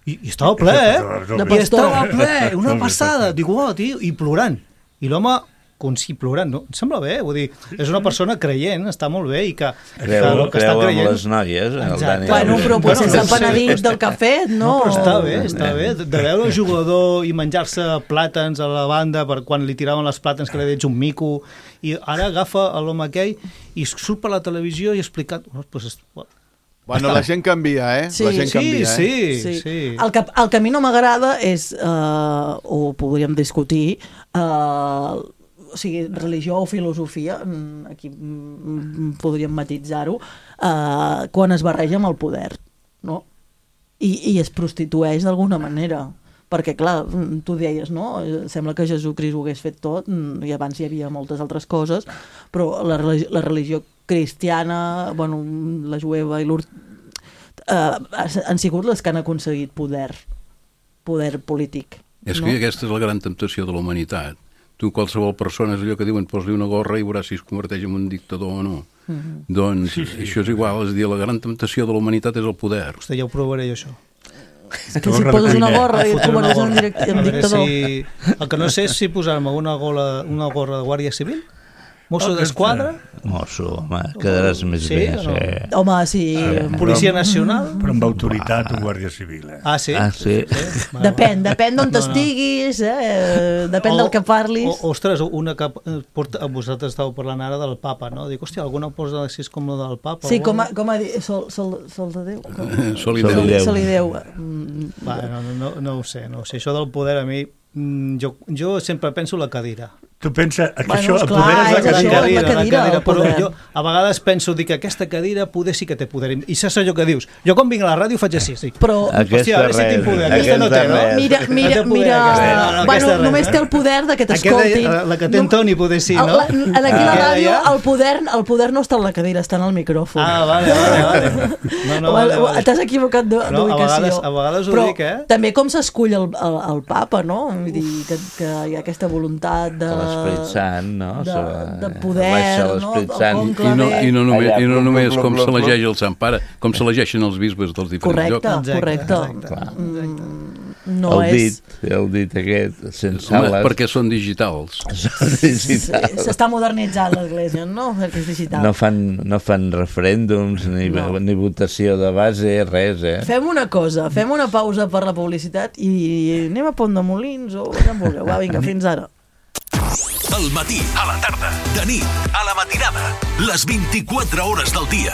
I, i estava ple, eh? I estava ple, una passada. Dic, oh, tio, i plorant. I l'home, com si plorant, no? Em sembla bé, vull dir, és una persona creient, està molt bé, i que... Creu, que creu en les noies, el Dani. Bueno, però potser s'ha penedit del cafè, no? No, però està bé, està bé. De veure un jugador i menjar-se plàtans a la banda per quan li tiraven les plàtans que li deia un mico, i ara agafa l'home aquell i surt per la televisió i ha explicat... Oh, pues, bueno, la gent canvia, eh? Sí, la gent sí, canvia, sí, eh? sí, sí. El que, el que a mi no m'agrada és, uh, o podríem discutir, uh, o sigui, religió o filosofia, aquí podríem matitzar-ho, uh, quan es barreja amb el poder, no? I, i es prostitueix d'alguna manera. Perquè, clar, tu deies, no? Sembla que Jesucrist ho hagués fet tot, i abans hi havia moltes altres coses, però la religió, la religió cristiana, bueno, la jueva i l'urt... Eh, han sigut les que han aconseguit poder, poder polític. És no? que aquesta és la gran temptació de la humanitat. Tu, qualsevol persona, és allò que diuen, posa-li una gorra i veuràs si es converteix en un dictador o no. Mm-hmm. Doncs sí, sí, això és igual, és a dir, la gran temptació de la humanitat és el poder. Vostè ja ho provaré, això. Que si poses una gorra i et converteixes en, direct, en dictador. Si... El que no sé és si posar-me una, gola, una gorra de Guàrdia Civil, mosso d'esquadra... Mosso, home, quedaràs més Sí, bé. o no? Sí. Home, sí. Policia Nacional... Però amb autoritat o Guàrdia Civil, eh? Ah, sí? Ah, sí. sí? Depèn, depèn d'on t'estiguis, eh? Depèn del que parlis. O, ostres, una que porta, vosaltres estàveu parlant ara del papa, no? Dic, hòstia, alguna posa així com la del papa? Sí, com a, com a dir, sol, sol, sol de Déu. Sol i Sol i Déu. Déu. Sol i Déu. Mm, Va, no, no, no ho sé, no ho sé. Això del poder a mi... Jo, jo sempre penso la cadira. Tu pensa que Bueno, això, el esclar, poder és la és això, cadira. la cadira, el però poder. jo a vegades penso dic, que aquesta cadira poder sí que té poder. I saps allò que dius? Jo quan vinc a la ràdio faig així, sí. Però, Aquesta hòstia, a veure si res, tinc poder. Aquesta no té, no? res. mira, mira, No té poder, mira, aquesta. No, no, bueno, aquesta res, només eh? té el poder de que t'escoltin. Aquesta, la que té en Toni poder sí, El- no? la- en aquí a la Ah, ràdio ja? el poder, el poder no està en la cadira, està en el micròfon. Ah, vale, vale, vale. No, no, vale, vale. T'has equivocat d'u- No, a d'ubicació. vegades- a vegades ho Però dic, eh? també com s'escull el, el, el papa, no? Vull dir, que, que hi ha aquesta voluntat de... L'Esperit Sant, no? de, Sobre- de poder, baixa no? l'Esperit El Sant. conclave. I no, i no només, Allà, i no plum, només plum, com plum, plum. s'elegeix el Sant Pare, com s'elegeixen els bisbes dels diferents Correcte, llocs. Exacte, correcte. exacte. Mm, no el és... dit, el dit aquest, sense Home, ales. perquè són digitals. Són digitals. S'està modernitzant l'Església, no? Perquè és digital. No fan, no fan referèndums, ni, No. ni votació de base, res, eh? Fem una cosa, fem una pausa per la publicitat i anem a Pont de Molins o on vulgueu. Va, vinga, fins ara. Al matí, a la tarda, de nit, a la matinada, les vint-i-quatre hores del dia.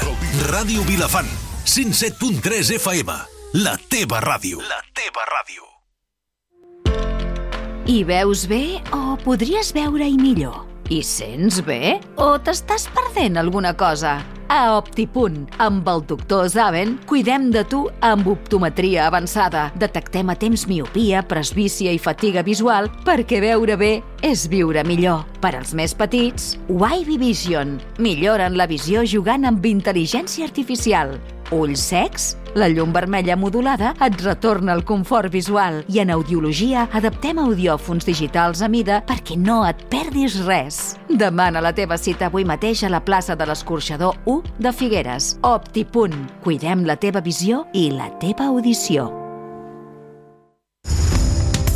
Ràdio Vilafant, cent set punt tres F M. La teva ràdio. La teva ràdio. Hi veus bé o podries veure-hi millor? Hi sents bé o t'estàs perdent alguna cosa? A Optipunt, amb el doctor Zaven, cuidem de tu amb optometria avançada. Detectem a temps miopia, presbícia i fatiga visual perquè veure bé és viure millor. Per als més petits, Wavy Vision. Milloren la visió jugant amb intel·ligència artificial. Ulls secs? La llum vermella modulada et retorna el confort visual i en audiologia adaptem audiòfons digitals a mida perquè no et perdis res. Demana la teva cita avui mateix a la plaça de l'Escorxador u de Figueres. Optipunt. Cuidem la teva visió i la teva audició.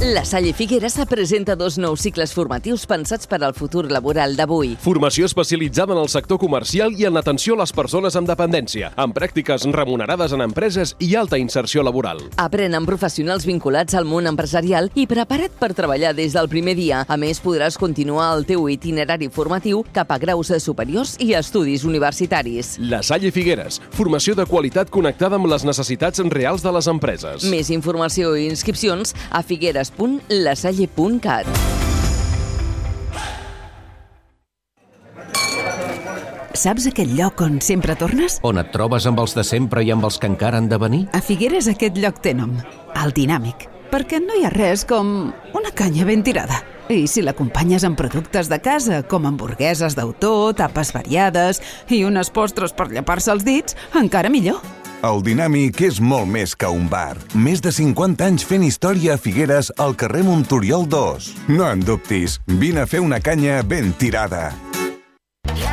La Salle Figueres presenta dos nous cicles formatius pensats per al futur laboral d'avui. Formació especialitzada en el sector comercial i en l'atenció a les persones amb dependència, amb pràctiques remunerades en empreses i alta inserció laboral. Aprèn amb professionals vinculats al món empresarial i prepara't per treballar des del primer dia. A més, podràs continuar el teu itinerari formatiu cap a graus superiors i estudis universitaris. La Salle Figueres, formació de qualitat connectada amb les necessitats reals de les empreses. Més informació i inscripcions a figueres punt lasalle punt cat. Saps aquell lloc on sempre tornes? On et trobes amb els de sempre i amb els que encara han de venir? A Figueres aquest lloc té nom, el Dinàmic, perquè no hi ha res com una canya ben tirada. I si l'acompanyes amb productes de casa, com hamburgueses d'autor, tapes variades i unes postres per llepar-se els dits, encara millor. El Dinàmic és molt més que un bar. Més de cinquanta anys fent història a Figueres al carrer Montoriol dos. No en dubtis, vine a fer una canya ben tirada.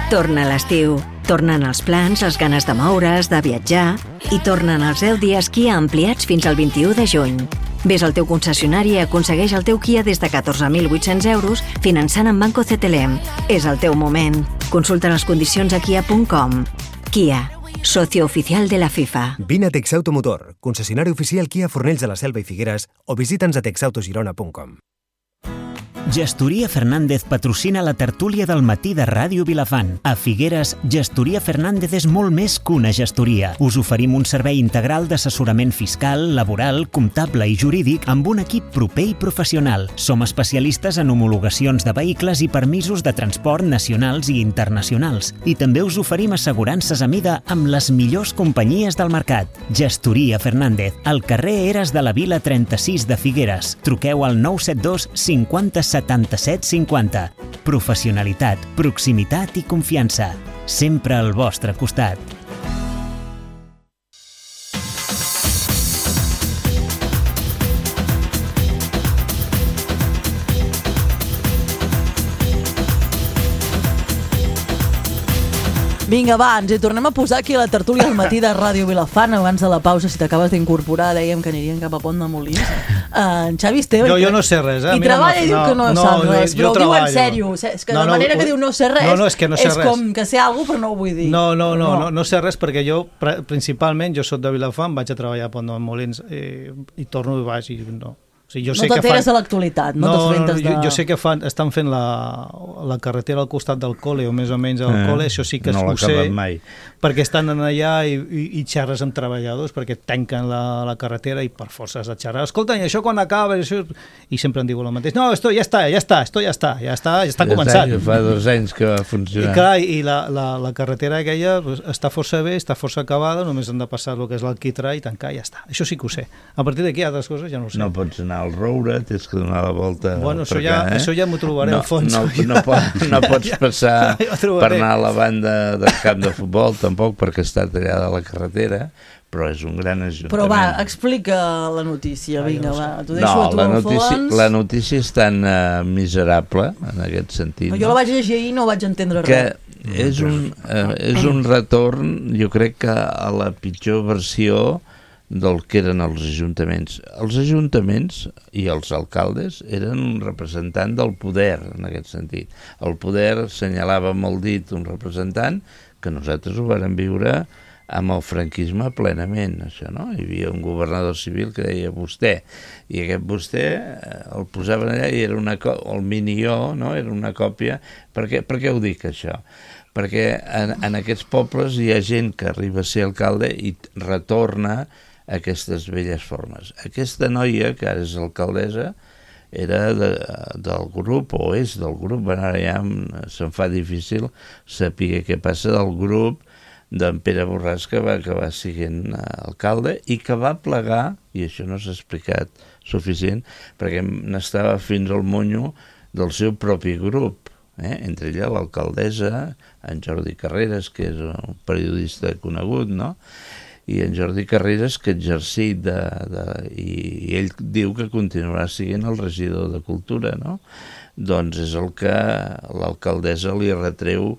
Torna l'estiu, tornen els plans, les ganes de moure's, de viatjar i tornen els deu dies Kia ampliats fins al vint-i-u de juny. Ves al teu concessionari i aconsegueix el teu Kia des de catorze mil vuit-cents euros finançant amb Banco C T L M. És el teu moment. Consulta les condicions a kia punt com. Kia, socio oficial de la FIFA. Vine a Texauto Motor, concessionari oficial Kia Fornells de la Selva i Figueres, o visita'ns a texautogirona punt com. Gestoria Fernández patrocina la tertúlia del matí de Ràdio Vilafant. A Figueres, Gestoria Fernández és molt més que una gestoria. Us oferim un servei integral d'assessorament fiscal, laboral, comptable i jurídic amb un equip proper i professional. Som especialistes en homologacions de vehicles i permisos de transport nacionals i internacionals. I també us oferim assegurances a mida amb les millors companyies del mercat. Gestoria Fernández, al carrer Eres de la Vila trenta-sis de Figueres. Truqueu al nou set dos cinquanta setanta-set cinquanta. Professionalitat, proximitat i confiança. Sempre al vostre costat. Vinga, va, ens hi tornem a posar aquí a la tertúlia al matí de Ràdio Vilafant. Abans de la pausa, si t'acabes d'incorporar, dèiem que anirien cap a Pont de Molins. Uh, en Xavi Esteve... Jo, jo no sé res, eh? I treballa i diu que no, no sap res, però ho diu en sèrio. És que no, la manera no, que diu no sé res no, no, és, que no sé és res. com que sé alguna cosa, però no ho vull dir. No, no, no, no, no sé res perquè jo, principalment, jo soc de Vilafant, vaig a treballar a Pont de Molins i, i torno i vaig i no... O sigui, jo no sé t'enteres fan... de l'actualitat, no, no t'assabentés no, de... Jo, jo sé que fan, estan fent la, la carretera al costat del col·le, o més o menys al eh, col·le, això sí que no ho sé, mai. perquè estan allà i, i, i xerres amb treballadors, perquè tanquen la, la carretera i per força has de xerrar. Escolta, i això quan acaba? Això... I sempre em diuen el mateix. No, esto ja està, ja està, esto ja està, ja està, ja està ja començant. Està, fa dos anys que va funcionar. I clar, i la, la, la carretera aquella pues, està força bé, està força acabada, només han de passar el que és l'alquitrà i tancar, ja està. Això sí que ho sé. A partir d'aquí, altres coses ja no ho sé. No pots anar al Roure, tens que donar la volta bueno, per això ja, acá, eh? això ja m'ho trobaré no, al fons. No, no, no, pot, no pots passar ja, ja per anar a la banda del camp de futbol, tampoc, perquè està tallada la carretera, però és un gran ajuntament. Però va, explica la notícia, vinga, va, t'ho deixo no, a tu la al notícia, fons. La notícia és tan uh, miserable, en aquest sentit. No, jo la vaig llegir ahir i no vaig entendre que res. És un, uh, és un retorn, jo crec que a la pitjor versió del que eren els ajuntaments. Els ajuntaments i els alcaldes eren un representant del poder, en aquest sentit. El poder assenyalava amb el dit un representant que nosaltres ho vàrem viure amb el franquisme plenament, això, no? Hi havia un governador civil que deia vostè, i aquest vostè el posaven allà i era una el mini-jo, no? Era una còpia. Per què, per què ho dic, això? Perquè en, en aquests pobles hi ha gent que arriba a ser alcalde i retorna aquestes velles formes. Aquesta noia, que ara és alcaldessa, era de, del grup, o és del grup, bueno, ara ja se'm fa difícil saber què passa del grup d'en Pere Borràs, que va acabar sent alcalde i que va plegar, i això no s'ha explicat suficient, perquè n'estava fins al monyo del seu propi grup, eh? Entre ella l'alcaldessa, en Jordi Carreras, que és un periodista conegut, no?, i en Jordi Carreras, que exercit de, de, i, i ell diu que continuarà sent el regidor de Cultura, no? Doncs és el que l'alcaldessa li retreu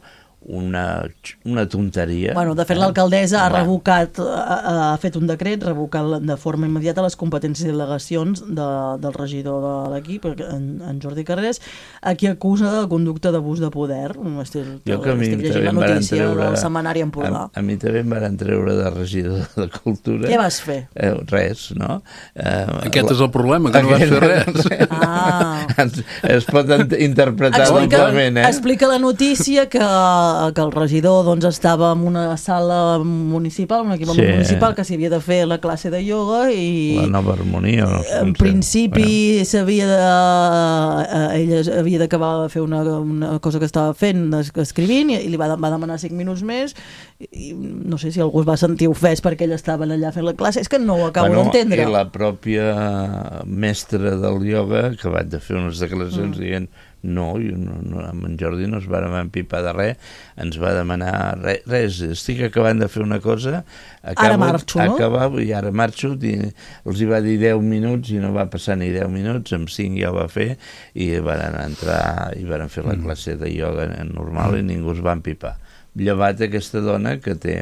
una, una tonteria. Bueno, de fet, l'alcaldessa ha revocat, ha, ha fet un decret revocant de forma immediata les competències i delegacions de, del regidor de l'equip, en, en Jordi Carreras, a qui acusa de conducta d'abús de poder. Estic, jo que a mi estic llegint la notícia treure, del setmanari Empordà. A, a mi també em van treure de regidor de Cultura. Què vas fer? Eh, res, no? Eh, Aquest és el problema, que no vas fer res. Ah. es, es pot interpretar doblement, eh? Explica la notícia que que el regidor doncs, estava en una sala municipal, un equipament sí. municipal, que s'hi havia de fer la classe de ioga i... La nova harmonia. No sé, en principi s'havia de... ella havia d'acabar de fer una, una cosa que estava fent, escrivint, i li va, va demanar cinc minuts més, i no sé si algú es va sentir ofès perquè ella estava allà fent la classe, és que no ho acabo bueno, d'entendre. I la pròpia mestra del ioga, que va de fer unes declaracions mm. dient no, no, no, amb en Jordi no es va empipar de res, ens va demanar res, res, estic acabant de fer una cosa, acabo, ara marxo, no? Acabo, i ara marxo, i els hi va dir deu minuts i no va passar ni deu minuts, amb cinc ja ho va fer, i van entrar i van fer la classe de ioga normal i ningú es va empipar. Llevat aquesta dona que té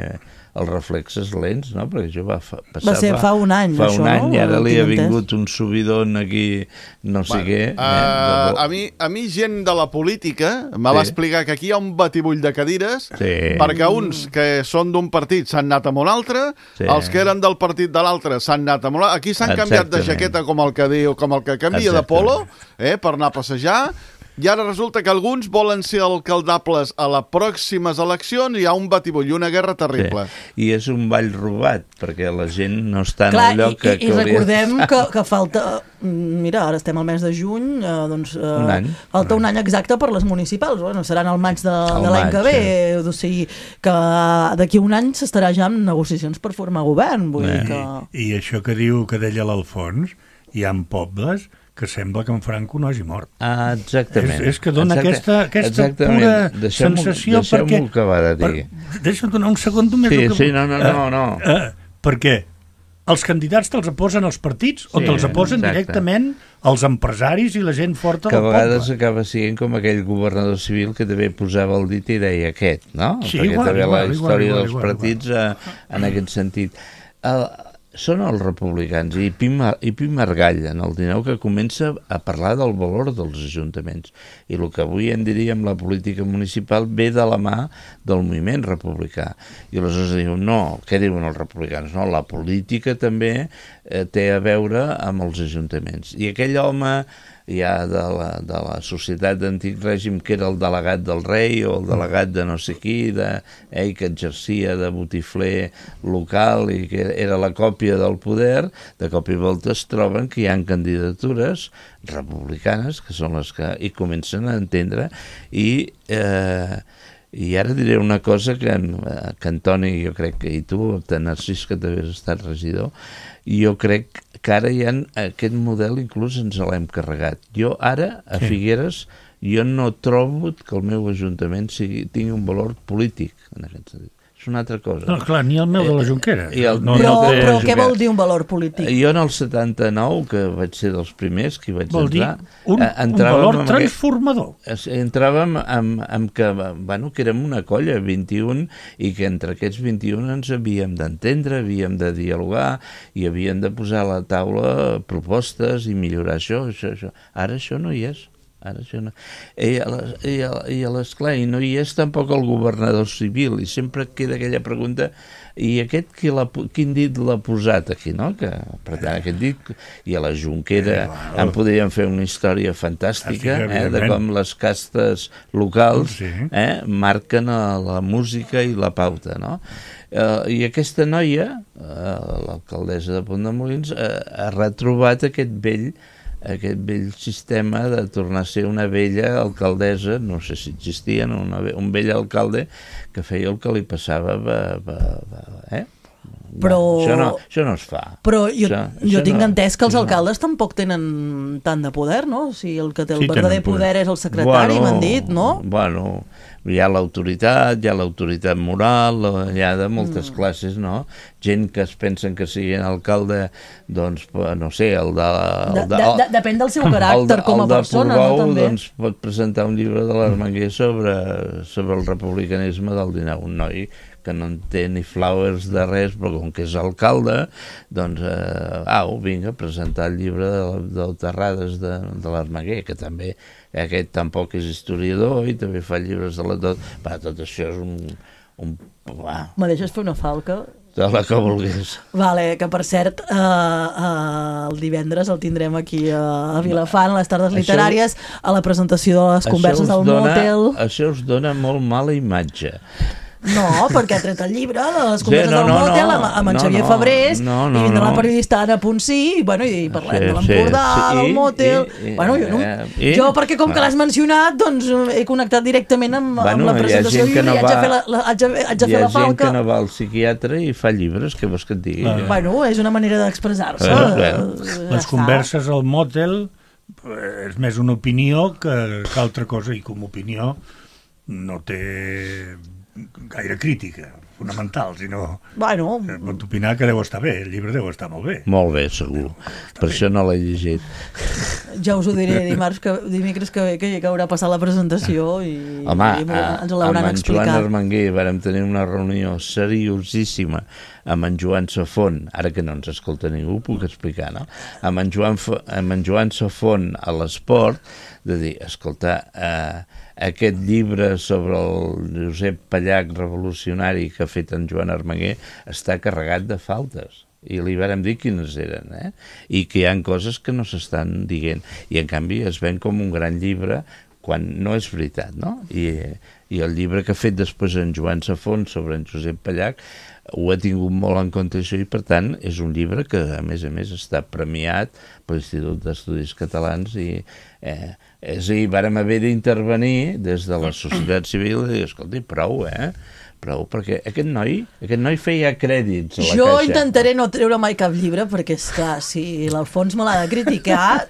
els reflexes lents, no? Perquè això va passar va ser fa un any, fa això, un any, no? I ara li ha vingut un subidon aquí, no sé bueno, què. Uh, eh, a, mi, a mi gent de la política me va sí. explicar que aquí hi ha un batibull de cadires, sí. perquè uns que són d'un partit s'han anat a un altre, sí. els que eren del partit de l'altre s'han anat a un altre. Aquí s'han canviat de jaqueta com el que diu, com el que canvia Exactament. de polo, eh, per anar a passejar. I ara resulta que alguns volen ser alcaldables a les pròximes eleccions i hi ha un batibull i una guerra terrible. Sí. I és un ball robat, perquè la gent no està Clar, en el lloc i, que, i, que i recordem que, que falta... Mira, ara estem al mes de juny, eh, doncs... Eh, un any. Falta un any exacte per les municipals. Bueno, seran al maig de, de l'any que ve. Sí. O sigui, que d'aquí un any s'estarà ja en negociacions per formar govern. Vull eh, dir que... I, I això que diu que deia l'Alfons, hi ha pobles que sembla que en Franco no hagi mort. Ah, exactament. És, és que dona Exacte, aquesta, aquesta exactament. pura deixem sensació deixem perquè... acabar de dir. Per, deixa'm donar un segon només. Sí, que, sí, no, no, no. no. Uh, uh, perquè els candidats te'ls posen els partits o te'ls posen exacte. directament els empresaris i la gent forta que a del vegades poble. acaba sent com aquell governador civil que també posava el dit i deia aquest, no? Sí, Perquè igual, també igual, la igual, història igual, dels igual, partits igual. A, en aquest sentit. El, són els republicans i Pi, i Pi Margall en el dinou que comença a parlar del valor dels ajuntaments i el que avui en diríem la política municipal ve de la mà del moviment republicà i aleshores diu, no, què diuen els republicans? No, la política també eh, té a veure amb els ajuntaments i aquell home ja de la, de la societat d'antic règim que era el delegat del rei o el delegat de no sé qui de, eh, que exercia de botifler local i que era la còpia del poder, de cop i volta es troben que hi ha candidatures republicanes que són les que hi comencen a entendre i eh, i ara diré una cosa que en, que en Toni, jo crec que i tu, de Narcís, que també has estat regidor, jo crec que ara hi ha aquest model, inclús ens l'hem carregat. Jo ara, a sí. Figueres, jo no trobo que el meu ajuntament sigui, tingui un valor polític, en aquest sentit. És una altra cosa. No, clar, ni el meu de la Jonquera. Eh, el, no, però no però què vol dir un valor polític? Jo en el setanta-nou, que vaig ser dels primers que hi vaig vol entrar... Vol dir un, un valor transformador. Aquest, entràvem amb, amb que, bueno, que érem una colla, vint-i-un, i que entre aquests vint-i-un ens havíem d'entendre, havíem de dialogar, i havíem de posar a la taula propostes i millorar això, això, això. Ara això no hi és. Ara això no. I, i, i, esclar, i no hi és tampoc el governador civil i sempre queda aquella pregunta i aquest qui la, quin dit l'ha posat aquí, no? Que, per tant, aquest dit i a la Jonquera eh, en podríem fer una història fantàstica eh, de com les castes locals sí. eh, marquen la música i la pauta, no? Uh, i aquesta noia uh, l'alcaldessa de Pont de Molins uh, ha retrobat aquest vell aquest vell sistema de tornar a ser una vella alcaldessa, no sé si existia, una, un vell alcalde que feia el que li passava, va, va, va, eh? Però... Va, això, no, això no es fa. Però jo, això, jo això tinc no, entès que els no. alcaldes tampoc tenen tant de poder, no? O sigui, el que té el sí, verdader poder és el secretari, bueno, m'han dit, no? Bueno, hi ha l'autoritat, hi ha l'autoritat moral, hi ha de moltes mm. classes, no? Gent que es pensen que siguin alcalde, doncs, no sé, el de... El de, de, de, de depèn del seu caràcter de, com a persona, Portbou, no? També. Doncs pot presentar un llibre de l'Armenguer sobre, sobre el republicanisme del dinou, un noi que no en té ni flowers de res, però com que és alcalde, doncs, eh, au, vinga, presentar el llibre de, de Terrades de, de l'Armenguer, que també, aquest tampoc és historiador i també fa llibres de la tot, va, tot això és un... un va. Me deixes fer una falca? De la que vulguis. Vale, que per cert, eh, eh, el divendres el tindrem aquí a Vilafant, a les tardes literàries, això, a la presentació de les converses del dona, Motel. Això us dona molt mala imatge. No, perquè ha tret el llibre de les converses sí, no, del no, Motel no, amb, amb en no, Xavier no, Fabrés no, no, i vindrà no. la periodista Anna Ponsí i, bueno, i parlem sí, de l'Empordà, sí, sí. del Motel... I, i, bueno, jo, no, i, jo perquè com que l'has mencionat, doncs he connectat directament amb, bueno, amb la presentació i no haig, va, de fer la, la, haig, de, haig de fer la falca. Hi ha gent que no va al psiquiatre i fa llibres, que vols que et digui? Ah. Bueno, és una manera d'expressar-se. Ah, bueno. Les converses al Motel és més una opinió que, que altra cosa, i com a opinió no té gaire crítica fonamental, sinó bueno, pot opinar que deu estar bé, el llibre deu estar molt bé. Molt bé, segur. Per bé. Això no l'he llegit. Ja us ho diré dimarts que, dimecres que ve, que, que haurà passat la presentació i, Home, i ens l'hauran explicat. Amb en Joan Armenguer vàrem tenir una reunió seriosíssima amb en Joan Safont, ara que no ens escolta ningú, puc explicar, no? Amb en Joan, amb en Joan Safont a l'esport, de dir, escolta, eh, aquest llibre sobre el Josep Pallac revolucionari que ha fet en Joan Armenguer està carregat de faltes. I li vàrem dir quines eren, eh? I que hi ha coses que no s'estan dient. I en canvi es ven com un gran llibre quan no és veritat, no? I, i el llibre que ha fet després en Joan Safont sobre en Josep Pallac ho ha tingut molt en compte això i per tant és un llibre que a més a més està premiat per l'Institut d'Estudis Catalans i eh, és a dir, vàrem haver d'intervenir des de la societat civil i dir, escolta, prou, eh? Prou, perquè aquest noi, aquest noi feia crèdits a la jo caixa. Intentaré no treure mai cap llibre perquè, és clar, si l'Alfons me l'ha de criticar,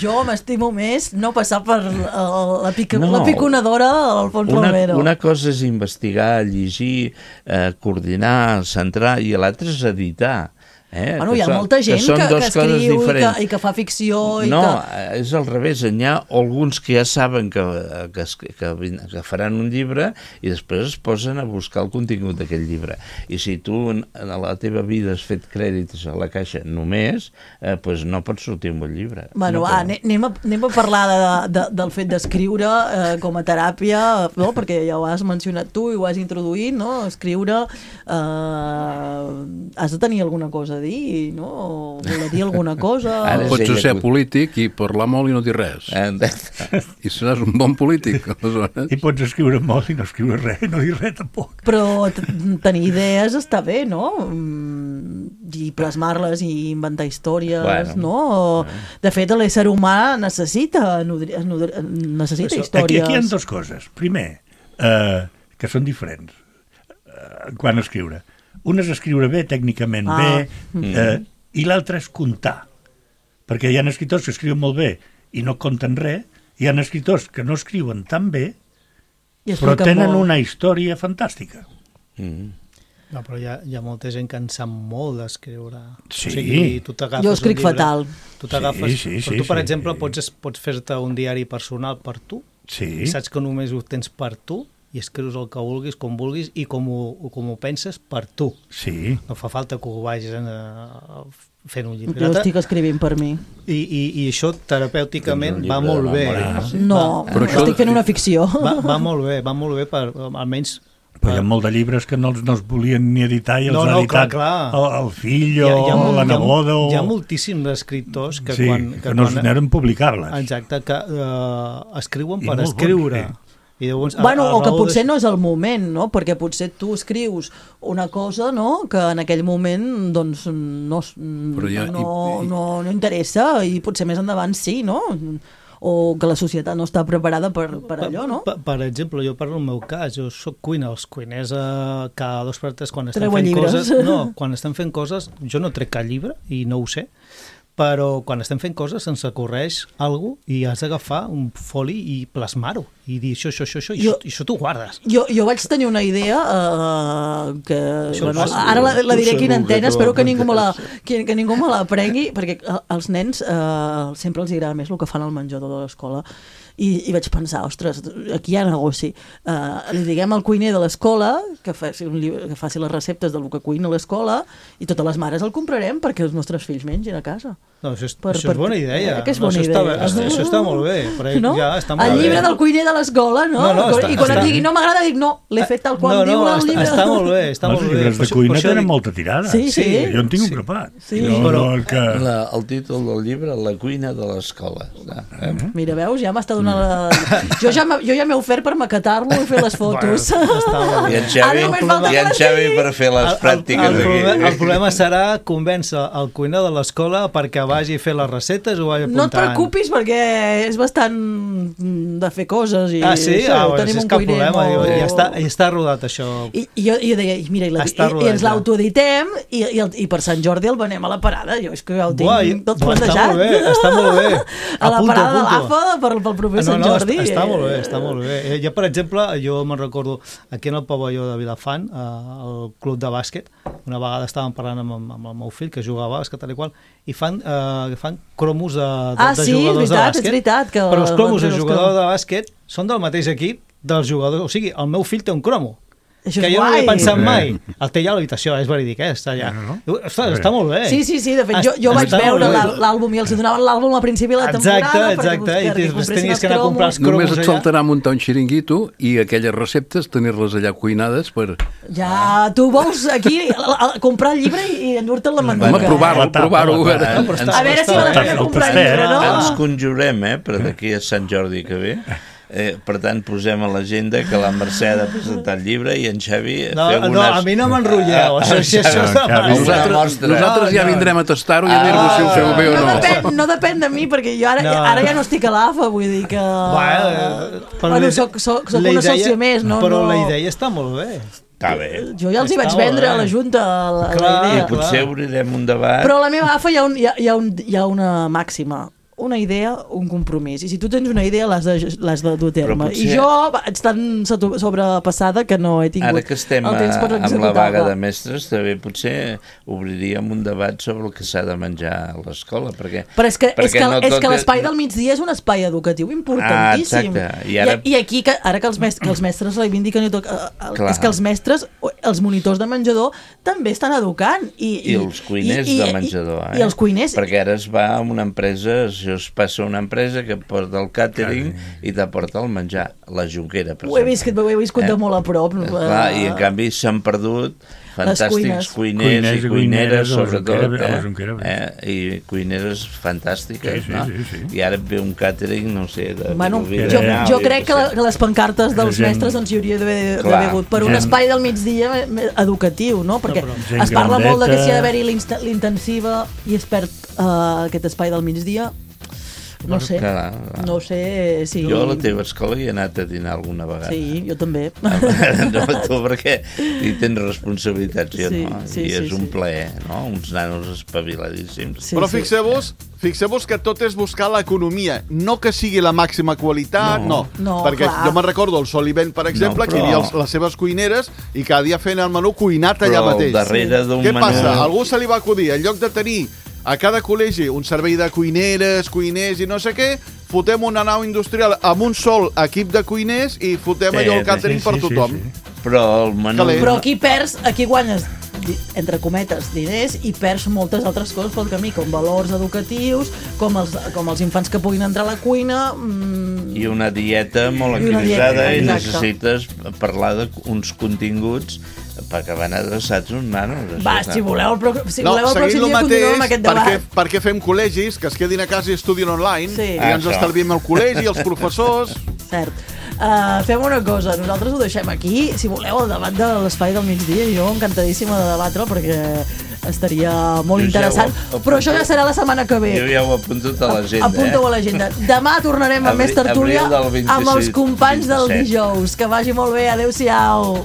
jo m'estimo més no passar per la, la, pica, no, la piconadora de l'Alfons Romero. Una cosa és investigar, llegir, eh, coordinar, centrar, i l'altra és editar. Eh? Bueno, hi ha són, molta gent que, que, que escriu i que, i que fa ficció. I no, que... és al revés. N'hi ha alguns que ja saben que, que, que, que faran un llibre i després es posen a buscar el contingut d'aquell llibre. I si tu en la teva vida has fet crèdits a la caixa només, eh, doncs no pots sortir un bon llibre. Bueno, no va, anem, a, anem a parlar de, de, del fet d'escriure eh, com a teràpia, no? Perquè ja ho has mencionat tu i ho has introduït, no? Escriure, eh, has de tenir alguna cosa a dir, no? O voler dir alguna cosa. Pots ser polític i parlar molt i no dir res. I seràs un bon polític, aleshores. I pots escriure molt i no escriure res, no dir res tampoc. Però tenir idees està bé, no? I plasmar-les i inventar històries, bueno, no? De fet, l'ésser humà necessita, nodri, nodri, necessita Això, històries. Aquí, aquí hi ha dues coses. Primer, eh, que són diferents eh, quan escriure. Un és escriure bé, tècnicament ah. bé, eh, i l'altre és contar. Perquè hi ha escriptors que escriuen molt bé i no conten res, hi ha escriptors que no escriuen tan bé, però tenen molt. Una història fantàstica. Mm. No, però hi ha, hi ha molta gent que en sap molt d'escriure. Sí. O sigui, tu t'agafes jo escric un llibre, fatal. Tu t'agafes... Sí, sí, sí, però tu, per sí, exemple, sí. pots, pots fer-te un diari personal per tu, sí. I saps que només ho tens per tu, i escrius el que vulguis, com vulguis, i com ho, com ho penses per tu. Sí. No fa falta que ho vagis a, fent un llibre. Jo estic escrivint per mi. I, i, i això terapèuticament va molt bé. No, va, estic fent una ficció. Va, va molt bé, va molt bé per, almenys... Però hi ha molt de llibres que no els, no els volien ni editar i els no, ha no, editat clar, clar. El, el fill o hi ha, hi ha, la neboda. Hi ha, o... hi ha moltíssims escriptors que sí, quan... que, que no quan, eren publicar-les. Exacte, que uh, escriuen I per escriure. Bon, sí. I llavors, bueno, a, a o que potser de... no és el moment, no? Perquè potser tu escrius una cosa, no?, que en aquell moment doncs no, ja, no, i, no, no interessa i potser més endavant sí, no? O que la societat no està preparada per, per allò, no? Per, per exemple, jo parlo del meu cas, jo soc cuina, els cuiners eh, cada dos per tres quan estan Treuen fent llibres. coses, no, quan estan fent coses, jo no trec cap llibre i no ho sé, però quan estem fent coses se'ns ocorreix alguna cosa i has d'agafar un foli i plasmar-ho i dir això, això, això, això i, jo, i això t'ho guardes. Jo, jo vaig tenir una idea uh, que això bueno, ara la, la diré aquí en antena, espero que ningú me la, que, que ningú me la prengui, perquè als nens uh, sempre els agrada més el que fan al menjador de l'escola. I, i vaig pensar, ostres, aquí hi ha negoci. Uh, li diguem al cuiner de l'escola que faci, un llibre, que faci les receptes del que cuina a l'escola i totes les mares el comprarem perquè els nostres fills mengin a casa. No, això és, per, això és bona idea. Eh, que és no, bona això, idea. Està, això, això està molt bé. Però no? ja està molt el bé. llibre del cuiner de l'escola, no? no, no està, I quan està... et digui no m'agrada, dic no, l'he fet tal qual no, no, diu el està, llibre. Està molt bé, està els molt bé. Els llibres de cuina tenen molta tirada. Sí, sí. Jo en tinc sí. un grapat. Sí. No, però, no, que... la, el títol del llibre, La cuina de l'escola. Eh? Mira, veus, ja m'està donant la... Jo ja, jo ja m'he ofert per maquetar-lo i fer les fotos. Bueno, I en Xavi, i en Xavi per fer les el, pràctiques el, el, aquí. problema, el problema serà convèncer el cuiner de l'escola perquè vagi a fer les receptes o vagi apuntant. No et preocupis perquè és bastant de fer coses i ah, sí? això, ah, tenim és un cap cuiner problema, molt... ja, està, ja està rodat això. I, i, jo, i jo deia, mira, i, la, i, i ens l'autoeditem i, i, i per Sant Jordi el venem a la parada. Jo és que ja ho tinc Buà, tot buà, plantejat. Està molt bé, està molt bé. A la Apunto, parada de apunto. l'A F A per, pel proper no, Sant no, Jordi. Està, està molt bé, està molt bé. Jo, per exemple, jo me'n recordo aquí en el pavelló de Vilafant, al club de bàsquet, una vegada estàvem parlant amb, amb el meu fill que jugava a bàsquet tal i qual, i fan, uh, fan cromos de, de, ah, de sí, jugadors veritat, de bàsquet. És veritat, que però els cromos de els jugadors de bàsquet són del mateix equip dels jugadors. O sigui, el meu fill té un cromo. Això que és jo guai. no havia pensat mai. El té allà a l'habitació, és verídic, eh? Està allà. No, no. Ostres, està molt bé. Sí, sí, sí, de fet, jo, jo vaig veure l'àlbum i els donaven l'àlbum a principi de la temporada exacte, exacte. I després tenies que anar a comprar els cromos. Només et faltarà muntar un xiringuito i aquelles receptes tenir-les allà cuinades per... Ja, tu vols aquí comprar el llibre i endur-te'l la manduca. Home, provar-ho, provar-ho. A veure si val la pena comprar el llibre, no? Ens conjurem, eh, per d'aquí a Sant Jordi que ve. Eh, per tant, posem a l'agenda que la Mercè ha de presentar el llibre i en Xavi no, feu unes... No, a mi no m'enrotlleu. Ah, si això no, Xavi, nosaltres, nosaltres ja vindrem a tastar-ho i a dir-vos si ho feu bé o no. No depèn, no depèn de mi, perquè jo ara, no. ara ja no estic a l'A F A, vull dir que... Bueno, bueno soc, soc, soc una sòcia més, no? Però no... la idea està molt bé. Està bé. Jo ja els hi vaig vendre a la Junta la, clar, la idea. I potser obrirem un debat. Però a la meva A F A hi ha, un, hi ha, hi ha, un, hi ha una màxima. una idea, un compromís. I si tu tens una idea, l'has de, l'has de dur a terme. potser... I jo vaig tan sobrepassada que no he tingut Ara que estem el temps per amb la vaga executar-la. de mestres, també potser obriríem un debat sobre el que s'ha de menjar a l'escola, perquè... Però és que, és que, no és que tot l'espai del migdia és un espai educatiu importantíssim. Ah, exacte. I, ara... I, I aquí, que, ara que els mestres, que els mestres reivindiquen, i tot, és que els mestres, els monitors de menjador, també estan educant. I, I, i els cuiners i, i, de menjador. I, eh? i els cuiners... Perquè ara es va a una empresa, això es passa a una empresa que porta el càtering i t'aporta el menjar, la Junquera, per ho he vist, ho he viscut eh? de molt a prop. Clar, i en canvi s'han perdut fantàstics cuiners, cuiners i cuineres, sobretot, eh? Eh? I cuineres fantàstiques, sí, sí, no? Sí, sí. I ara ve un càtering, no sé, de... Bueno, jo, jo crec que, la, que les pancartes dels gent, mestres doncs, hi hauria d'haver hagut per gent, un espai del migdia educatiu, no? Perquè no, es parla grandeta. Molt de que si ha d'haver-hi l'intensiva i es perd uh, aquest espai del migdia. No sé, clar, clar. no sé si... Jo a la teva escola hi he anat a dinar alguna vegada. Sí, jo també. No, tu perquè hi tens responsabilitats, jo sí, no? Sí, I és sí, un sí. plaer, no? Uns nanos espaviladíssims. Sí, Però fixeu-vos fixeu-vos que tot és buscar l'economia, no que sigui la màxima qualitat, no. no. no perquè clar. jo me'n recordo el Solivent, per exemple, no, però... que hi havia els, les seves cuineres i cada dia feien el menú cuinat allà però mateix. Darrere d'un Què menú... passa? Algú se li va acudir, en lloc de tenir a cada col·legi un servei de cuineres, cuiners i no sé què, fotem una nau industrial amb un sol equip de cuiners i fotem sí, allò el càtering sí, sí, per tothom. Sí, sí. Però el menú... Però aquí perds, aquí guanyes, entre cometes, diners i perds moltes altres coses pel camí, com valors educatius, com els, com els infants que puguin entrar a la cuina... Mmm... I una dieta molt equilibrada i necessites parlar d'uns continguts perquè van adreçats uns nanos. Va, si voleu el, pro... si no, voleu el pròxim dia continuem amb aquest debat. Perquè, perquè fem col·legis que es quedin a casa i estudien online sí. i ah, ens estalviem el col·legi, els professors... Cert. Uh, fem una cosa, nosaltres ho deixem aquí. Si voleu el debat de l'espai del migdia, jo encantadíssima de debatre'l perquè estaria molt jo interessant, ja però això ja serà la setmana que ve. Jo ja ho apunto a l'agenda. Apunta-ho a l'agenda. Demà tornarem amb més tertúlia amb els companys del dijous. Que vagi molt bé, adeu-siau.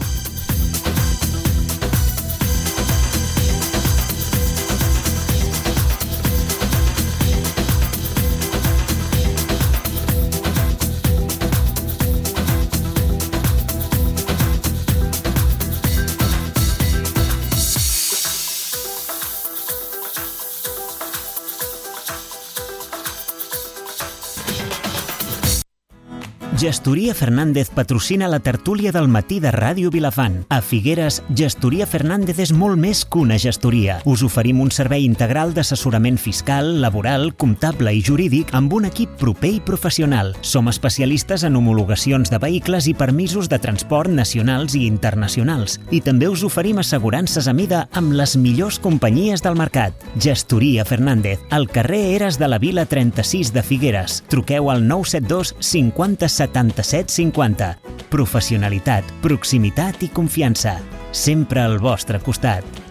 Gestoria Fernández patrocina la tertúlia del matí de Ràdio Vilafant. A Figueres, Gestoria Fernández és molt més que una gestoria. Us oferim un servei integral d'assessorament fiscal, laboral, comptable i jurídic amb un equip proper i professional. Som especialistes en homologacions de vehicles i permisos de transport nacionals i internacionals. I també us oferim assegurances a mida amb les millors companyies del mercat. Gestoria Fernández, al carrer Eres de la Vila trenta-sis de Figueres. Truqueu al nou set dos cinquanta setanta-set cinquanta. Professionalitat, proximitat i confiança. Sempre al vostre costat.